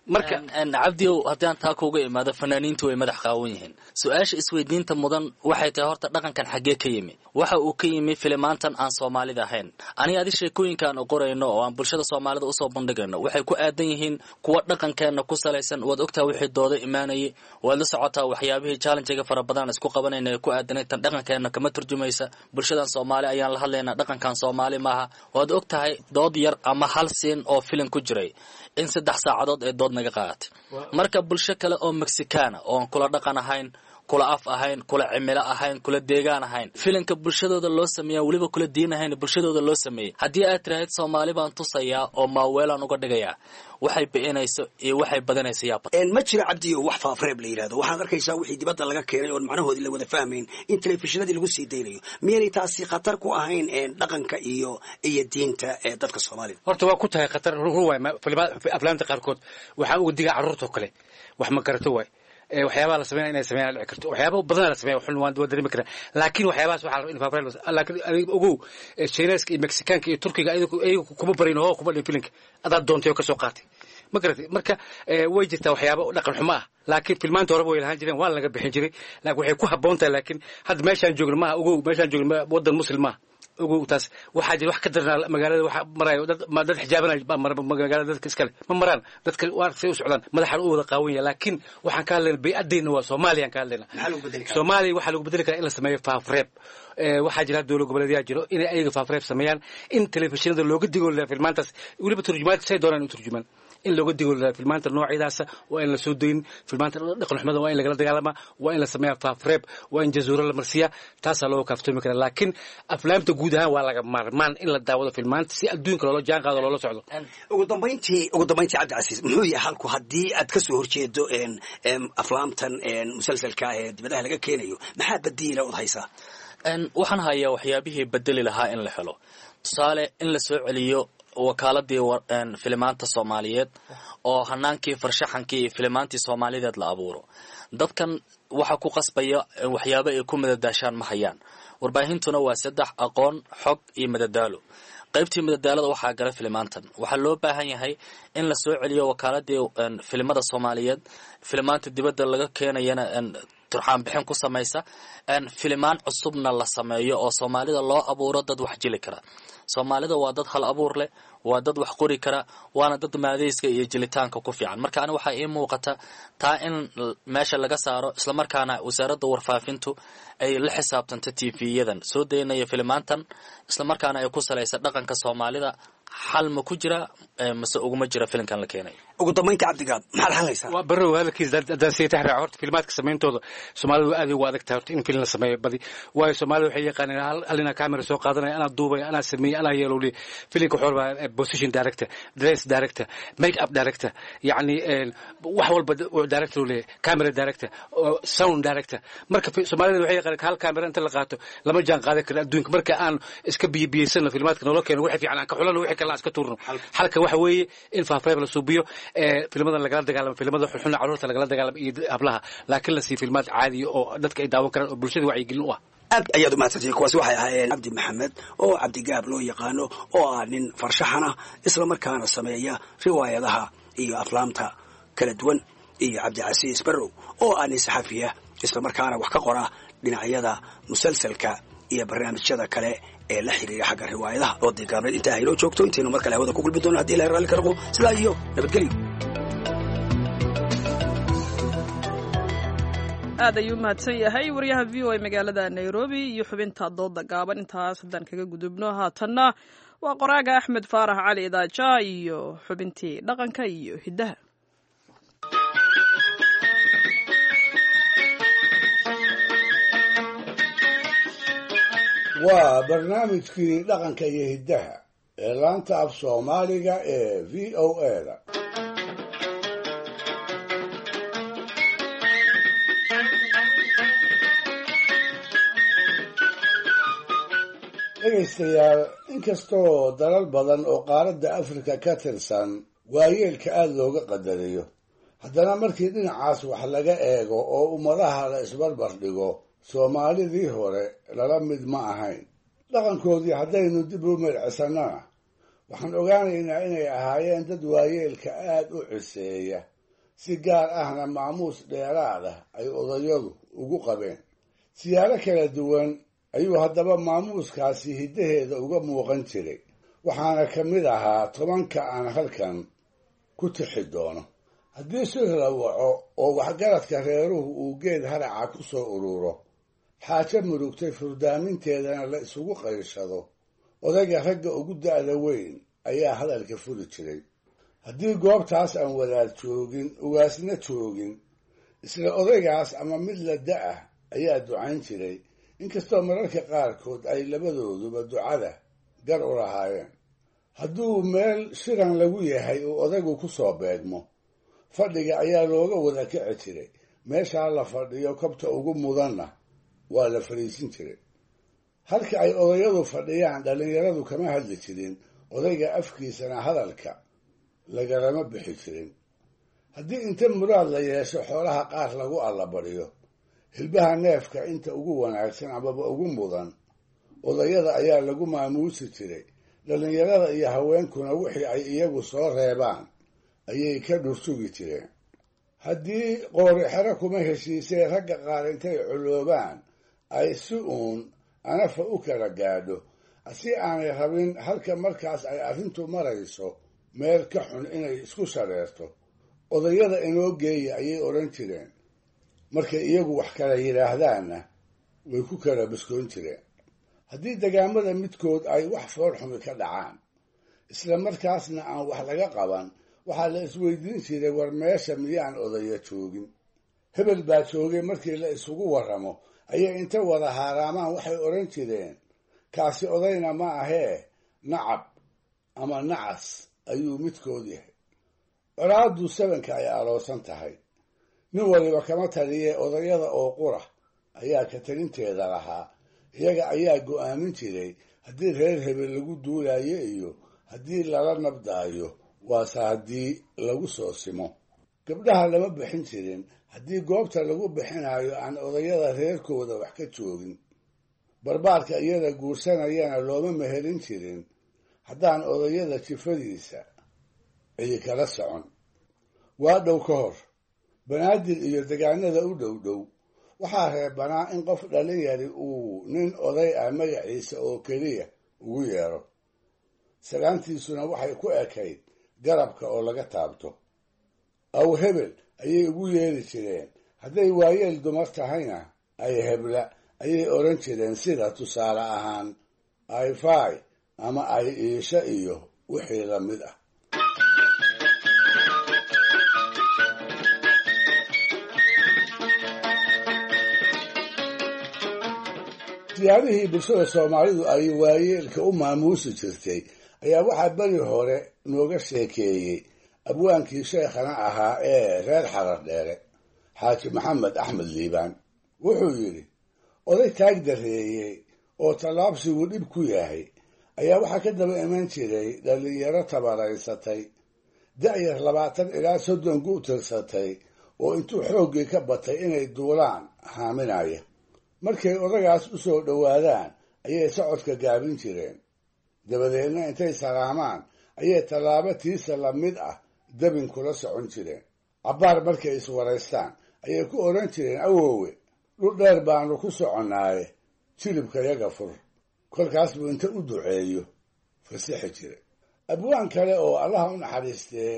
Marka Cabdiow, haddii aan taa kuuga imaado, fanaaniintu way madax qaawan yihiin. Su-aasha isweydiinta mudan waxay tahay horta dhaqankan xaggee ka yimi? Waxa uu ka yimi filimaantan aan soomaalida ahayn. Aniga adi sheekooyinka aan qorayno oo aan bulshada soomaalida usoo bandhigayno waxay ku aadan yihiin kuwa dhaqankeena ku salaysan. Waad ogtaha wixii dooda imaanayay, waad la socotaa waxyaabihii challengega fara badan isku qabanayna ee ku aadanay tan dhaqankeena kama turjumaysa, bulshadan soomaali ayaan la hadlaynaa, dhaqankan soomaali maaha. Waad og tahay dood yar ama hal siin oo filim ku jiray in saddex saacadood ee dood naga qaadatay. Marka bulsho kale oo Mexicana oo aan kula dhaqan ahayn, kula af ahayn, kula cimilo ahayn, kula deegaan ahayn, filinka bulshadooda loo sameeya weliba kula diin ahayn bulshadooda loo sameeyey. Haddii aad tirahayd Soomaali baan tusayaa oo maaweelaan uga dhigayaa, waxay bi'inayso iyo waxay badanayso yaa Ma jira, Cabdiyo, wax faafreeb la yidhahdo. Waxaad arkaysaa wixii dibadda laga keenay oon macnahoodii la wada fahmayn in telefishinadii lagu sii daynayo. Miyaanay taasi khatar ku ahayn dhaqanka iyo iyo diinta ee dadka Soomaalida? Horta waa ku tahay khatar, run waay. Aflaamta qaarkood waxaa uga digaa carruurta oo kale, wax ma garato waay. Waxyaabaha la sameynaya inay sameeyaan dhici karto, waxyaaba badan la sameeya xun waan dareemi karaa, laakiin waxyaabahaas waxaa la in faafreeb. Laakiin adiga ogow, Chineeska iyo Mexicaanka iyo Turkiga ayagu kuma barin oo kuma dhin filinka adaad doontay oo ka soo qaatay, ma garatay? Marka way jirtaa waxyaaba dhaqan xumo ah, laakiin filmaanta horeba way lahaan jireen, waa laga bixin jiray, laakiin waxay ku habboon tahay. Laakiin hadda meeshaan joogno maaha, ogow, meeshaan joogno waddan Muslim maaha, ogow taas. Waxaa jira wax ka darnaa magaalada waxa marayo dad dad xijaabanay baa mara magaalada, dadka iskale ma maraan, dadka waa say u socdaan madaxan u wada qaawan yahay. Laakiin waxaan ka hadlaynaa bay'addeena, waa Soomaaliya aan ka hadlaynaa. Soomaaliya waxaa lagu bedeli karaa in la sameeyo faafreeb. Waxaa jira dowlad goboleedyaa jiro inay ayaga faafreeb sameeyaan, in telefishinada looga digo filmaantaas, weliba turjumaad say doonaan u turjumaan, in looga digo filmaanta noocyadaasa waa in la soo dayin. Filmaanta dhaqan xumada waa in lagala dagaalamaa, waa in la sameeyaa faafreeb, waa in jazuuro la marsiiyaa, taasaa looga kaaftoomi karaa. Laakiin aflaamta guud ahaan waa laga maarmaan in la daawado filmaanta si adduunka loola jaan qaado, loola socdo. Ugu dambayntii, ugu dambayntii, Cabdicasiis, muxuu yahay halku haddii aad ka soo horjeedo aflaamtan musalsalka ee dibadaha laga keenayo? Maxaa badiila od haysaa? Waxaan hayaa waxyaabihii bedeli lahaa in la helo. Tusaale, in la soo celiyo wakaaladii filimaanta Soomaaliyeed oo hanaankii farshaxankii iyo filimaantii Soomaalideed la abuuro. Dadkan waxa ku qasbaya waxyaabo ay ku madadaashaan ma hayaan. Warbaahintuna waa saddex: aqoon, xog iyo madadaalo. Qaybtii madadaalada waxaa gala filimaantan. Waxaa loo baahan yahay in la soo celiyo wakaaladii filimada Soomaaliyeed, filimaanta dibadda laga keenayana turxaan bixin ku samaysa, filimaan cusubna la sameeyo oo Soomaalida loo abuuro dad wax jili kara. Soomaalida waa dad hal abuur leh, waa dad wax qori kara, waana dad maadayska iyo jilitaanka ku fiican. Marka ani waxaa ii muuqata taa in meesha laga saaro, islamarkaana wasaaradda warfaafintu ay la xisaabtanto T V-yadan soo daynaya filimaantan, islamarkaana ay ku salaysa dhaqanka Soomaalida. Xal ma ku jira mase uguma jira filimkan la keenay? Ugu dambaynta, Cabdigaab, maxaad hadlaysaa? Waa barrow hadalkiisa haddaan sii taxraaco. Horta filmaadka samayntooda Soomaalidu aad ugu adag tahay horta in film la sameeyo badi, waayo Soomaalida waxay yaqaaneen hal inaa camera soo qaadanaya, anaa duubaya, anaa sameeyey, anaa yeelowli. Filimka wuxuu rabaa position director, dress director, make up director, yacni wax walba director uu leeyahay, camera director, sound director. Marka Soomaalida waxay yaqaaneen hal camera inta la qaato lama jaan qaadan karo adduunka. Marka aan iska biyibiyeysano filmaadka noola keeno, wixii fiican aan ka xulano, wixii kalena aan iska tuurno. Xalka waxa weeye in faafreeb la suubiyo, filmadan lagala dagaalamo, filmada xunxuna carruurta lagala dagaalamo iyo hablaha, laakiin la siiyo filmaad caadiya oo dadka ay daawan karaan oo bulshada wacyigelin u ah. Aad ayaad umahadsantihiin. Kuwaasi waxay ahaayeen Cabdi Maxamed oo Cabdigaab loo yaqaano oo ah nin farshaxan ah, islamarkaana sameeya riwaayadaha iyo aflaamta kala duwan, iyo Cabdicasiis Barrow oo ah nin saxafiya, islamarkaana wax ka qora dhinacyada musalsalka iyo barnaamijyada kale ee la xiriira xagga riwaayadaha. Oo deegaabneed intaa haynoo joogto intaynu mar kale hawada ku gulbi doono hadii Ilahay raalli ka noqdo. Sidaa iyo nabadgelyo. Aad ayuu umahadsan yahay wariyaha V O A magaalada Nairobi iyo xubinta dooda gaaban. Intaas haddaan kaga gudubno, haatanna waa qoraaga Axmed Faarax Cali Idaaja iyo xubintii dhaqanka iyo hiddaha. Waa barnaamijkii dhaqanka iyo hiddaha ee laanta af Soomaaliga ee V O A da. Dhegaystayaal, inkastoo dalal badan oo qaaradda Afrika ka tirsan waayeelka aada looga qadariyo, haddana markii dhinacaas wax laga eego oo ummadaha la isbarbar dhigo, Soomaalidii hore lala mid ma ahayn. Dhaqankoodii haddaynu dib u milcisannana, waxaan ogaanaynaa inay ahaayeen dad waayeelka aad u ciseeya, si gaar ahna maamuus dheeraad ah ay odayadu ugu qabeen. Siyaalo kala duwan ayuu haddaba maamuuskaasi hiddaheeda uga muuqan jiray, waxaana ka mid ahaa tobanka aan halkan ku tixi doono. Haddii shir la waco oo waxgaradka reeruhu uu geed haraca ku soo ururo, xaajo murugtay furdaaminteedana la isugu qayshado, odayga ragga ugu da'da weyn ayaa hadalka furi jiray. Haddii goobtaas aan wadaad joogin, ugaasna joogin, Isla odaygaas ama mid la da-ah ayaa ducayn jiray, inkastoo mararka qaarkood ay labadooduba ducada gar u lahaayeen. Hadduu meel shiran lagu yahay uu odaygu ku soo beegmo, fadhiga ayaa looga wada kici jiray. Meeshaa la fadhiyo kabta ugu mudanna waa la fadhiisin jiray. Halka ay odayadu fadhiyaan dhallinyaradu kama hadli jirin, odayga afkiisana hadalka lagalama bixi jirin. Haddii inta muraad la yeesho xoolaha qaar lagu allabariyo, hilbaha neefka inta ugu wanaagsan amaba ugu mudan odayada ayaa lagu maamuusi jiray. Dhallinyarada iyo haweenkuna wixii ay iyagu soo reebaan ayay ka dhursugi jireen. Haddii qoori xero kuma heshiisee ragga qaar intay culoobaan ay si uun anafa u kala gaadho, si aanay rabin halka markaas ay arrintu marayso meel ka xun inay isku shareerto, odayada inoo geeya ayay odhan jireen. Markay iyagu wax kala yidhaahdaanna way ku kala biskoon jireen. Haddii degaamada midkood ay wax foolxumi ka dhacaan, isla markaasna aan wax laga qaban, waxaa la isweydiin jiray, war meesha miyaan odaya joogin? Hebel baa joogay markii la isugu warramo ayay inta wada haaraamaan waxay odhan jireen, kaasi odayna ma ahee, nacab ama nacas ayuu midkood yahay. Colaaddu sabanka ay aroosan tahay, nin waliba kama taliyee odayada oo qura ayaa ka talinteeda lahaa. Iyaga ayaa go'aamin jiray haddii reer hebel lagu duulayo iyo haddii lala nabdaayo, waase haddii lagu soo simo. Gabdhaha lama bixin jirin haddii goobta lagu bixinayo aan odayada reerkooda wax ka joogin. Barbaarka iyada guursanayana looma mehelin jirin haddaan odayada jifadiisa cidi kala socon. Waa dhow ka hor Banaadir iyo degaanada u dhow dhow waxaa reebanaa in qof dhalinyari uu nin oday ah magaciisa oo keliya ugu yeero. Salaantiisuna waxay ku ekayd garabka oo laga taabto. Aw hebel ayay ugu yeeri jireen, hadday waayeel dumar tahayna ay hebla ayay odhan jireen, sida tusaale ahaan ay faay ama ay iisha iyo wixii la mid ah. Siyaabihii bulshada Soomaalidu ay waayeelka u maamuusi jirtay ayaa waxaa beri hore nooga sheekeeyey abwaankii sheekhana ahaa ee reer Xarar Dheere, Xaaji Maxamed Axmed Liibaan. Wuxuu yidhi, oday taag dareeyey oo tallaabsigu dhib ku yahay ayaa waxaa ka daba iman jiray dhallinyaro tabaraysatay, da'yar labaatan ilaa soddon ku tirsatay, oo intuu xooggii ka batay inay duulaan haaminaya. Markay odagaas u soo dhowaadaan ayay socodka gaabin jireen, dabadeedna intay salaamaan ayay tallaabo tiisa la mid ah dabin kula socon jireen. Cabbaar markay iswaraystaan ayay ku odhan jireen, awoowe, dhul dheer baanu ku soconnaaye, jilibka yaga fur. Kolkaas buu inta u duceeyo fasixi jiray. Abwaan kale oo Allaha u naxariistee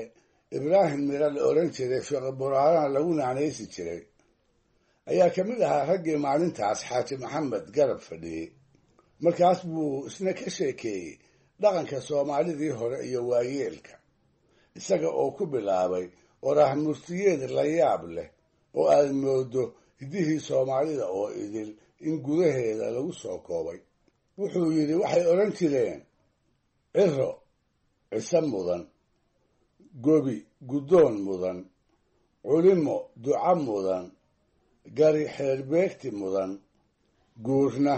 Ibraahim Mira la odhan jiray, Fiqi Buraarana lagu naanaysi jiray, ayaa ka mid ahaa raggii maalintaas Xaaji Maxamed garab fadhiyey. Markaas buu isna ka sheekeeyey dhaqanka Soomaalidii hore iyo waayeelka, isaga oo ku bilaabay oraah murtiyeed la yaab leh oo aad moodo hiddihii Soomaalida oo idil in gudaheeda lagu soo koobay. Wuxuu yidhi, waxay odhan jireen, ciro cise mudan, gobi guddoon mudan, culimo duca mudan, gari xeerbeegti mudan, guurna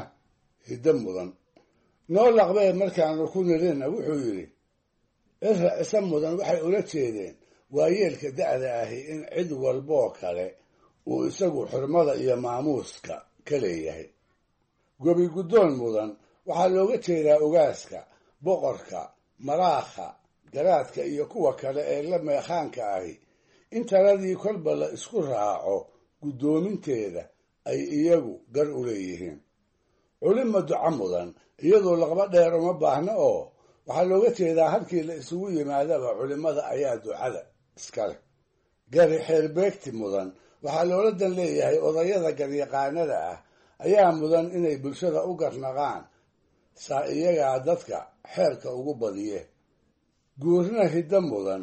hiddo mudan. Noo laqbee markaanu ku nirina, wuxuu yidhi, cira cise mudan waxay ula jeedeen waayeelka da'da ahi in cid walboo kale uu isagu xurmada iyo maamuuska ka leeyahay. Gobi guddoon mudan waxaa looga jeedaa ogaaska, boqorka, maraakha, garaadka iyo kuwa kale ee la meekhaanka ahi in taladii kolba la isku raaco guddoominteeda ay iyagu gar u leeyihiin. Culima duca mudan iyadoo laqba dheer uma baahna, oo waxaa looga jeedaa halkii la isugu yimaadaba culimada ayaa ducada iska leh. Gari xeerbeegti mudan waxaa loola dan leeyahay odayada garyaqaanada ah ayaa mudan inay bulshada u garnaqaan, saa iyagaa dadka xeerka ugu badiye. Guurna hiddo mudan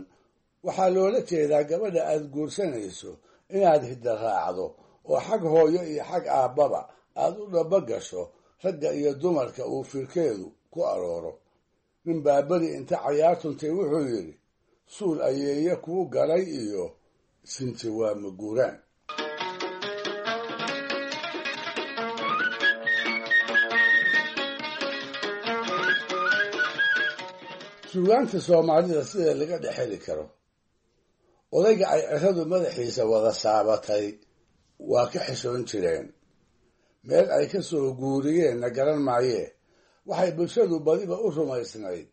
waxaa loola jeedaa gabadha aad guursanayso Inaad hidda raacdo oo xag hooyo iyo xag aabbaba aad u dhaba gasho ragga iyo dumarka uu firkeedu ku arooro. Nin baaberi inta cayaartuntay wuxuu yidhi suul ayeeye kuu galay iyo sinti waa maguuraan. Suugaanta Soomaalida sida laga dhex heli karo odayga ay ciradu madaxiisa wada saabatay waa ka xishoon jireen, meel ay ka soo guuriyeenna garan maayee. Waxay bulshadu badiba u rumaysnayd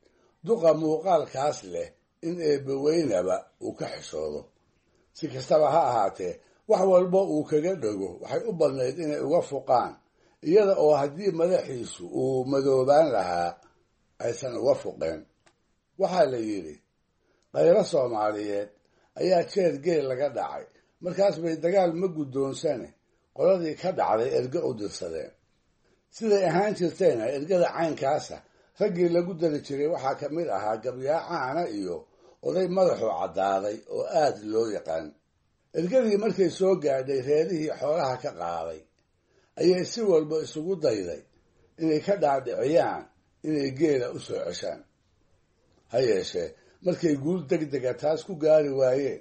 duqa muuqaalkaas leh in eebbaweynaba uu ka xishoodo. Si kastaba ha ahaatee, wax walba uu kaga dhego waxay u badnayd inay uga fuqaan, iyada oo haddii madaxiisu uu madoobaan lahaa aysan uga fuqeen. Waxaa la yidhi khayro Soomaaliyeed ayaa jeer geel laga dhacay, markaas bay dagaal ma guddoonsane qoladii ka dhacday erge u dirsadeen. Siday ahaan jirtayna ergada caynkaasa raggii lagu dari jiray waxaa ka mid ahaa gabyaacaana iyo oday madaxu caddaaday oo aad loo yaqaan. Ergadii markay soo gaadhay reerihii xoolaha ka qaaday ayay si walba isugu dayday inay ka dhaadhiciyaan inay geela u soo ceshaan. Ha yeeshee, markay guul degdega taas ku gaari waayeen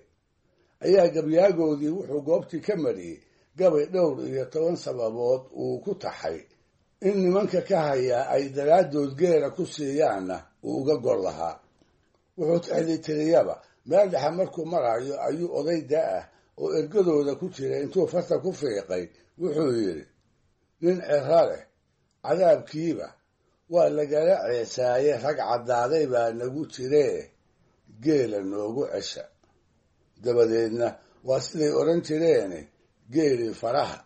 ayaa gabyaagoodii wuxuu goobtii ka mariyey gabay dhowr iyo toban sababood uu ku taxay in nimanka ka hayaa ay daraaddood geela ku siiyaanna uu uga gor lahaa. Wuxuu tixdii tiriyaba meel dhexe markuu marayo ayuu oday da-ah oo ergadooda ku jira intuu farta ku fiiqay wuxuu yidhi nin ciro leh cadaabkiiba waa lagala ceesaaye, rag caddaaday baa nagu jiree geela noogu cesha. Dabadeedna waa siday odhan jireene geelii faraha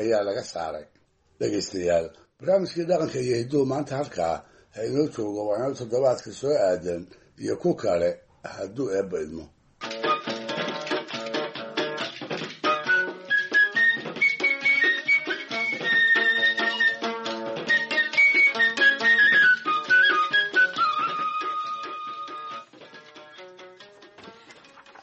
ayaa laga saaray. Dhegaystayaal, barnaamijkii dhaqanka iyo hidduhu maanta halkaa ha inoo joogo, waa inoo toddobaadka soo aadan iyo ku kale hadduu eebba idmo.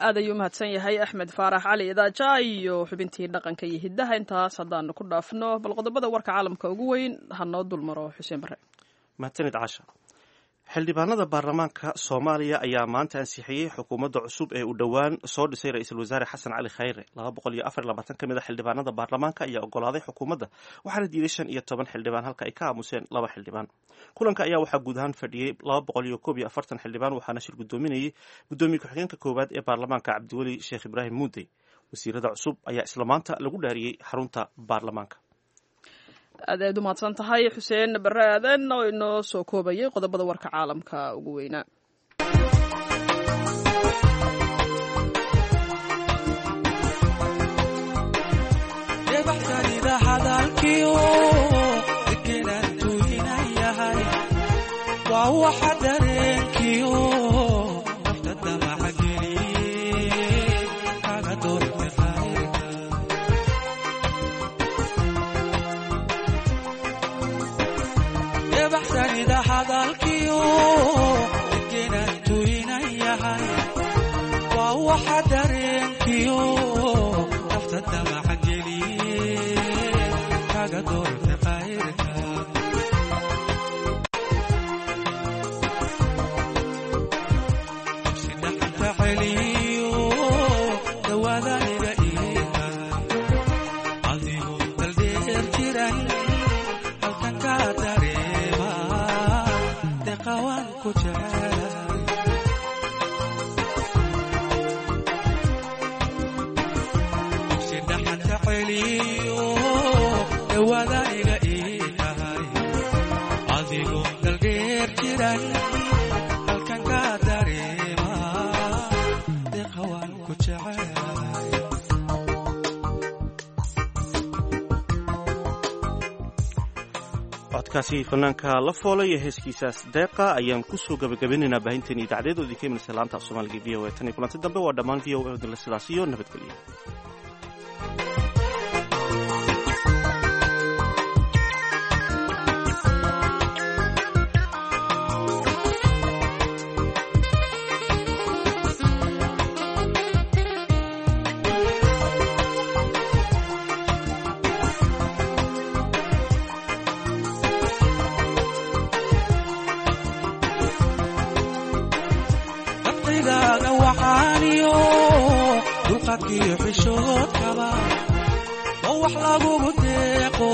Aad ayuu umahadsan yahay Axmed Faarax Cali Idaaja iyo xubintii dhaqanka iyo hiddaha. Intaas haddaanu ku dhaafno, bal qodobada warka caalamka ugu weyn ha noo dulmaro Xuseen Bare. Mahadsanid Caasha. Xildhibaanada baarlamaanka Soomaaliya ayaa maanta ansixiyey xukuumadda cusub ee uu dhowaan soo dhisay ra-iisul wasaare Xasan Cali Khayre. Laba boqol iyo afar iyo labaatan ka mid a xildhibaanada baarlamaanka ayaa ogolaaday xukuumadda, waxaana diiday shan iyo toban xildhibaan halka ay ka aamuseen laba xildhibaan. Kulanka ayaa waxaa guud ahaan fadhiyey laba boqol iyo koob iyo afartan xildhibaan, waxaana shir guddoominayay guddoomiye ku-xigeenka koowaad ee baarlamaanka Cabdiweli Sheekh Ibraahim Muudey. Wasiirada cusub ayaa isla maanta lagu dhaariyey xarunta baarlamaanka. Aad aad u mahadsan tahay Xuseen Barre Aadan oo inoo soo koobayay qodobada warka caalamka ugu weynaa. Codkaasi fanaanka la foolay ee heeskiisaas deeqa ayaan kusoo gabagabinaynaa baahinteeni idaacadeed oo idinka imanaysa laanta af Soomaaliga V O A. Tan iyo kulanti dambe waa dhammaan V O A odinle sidaas iyo nabadgelyo. Dulqaadkiyo xishoodkaba oo wax lagugu deeqo.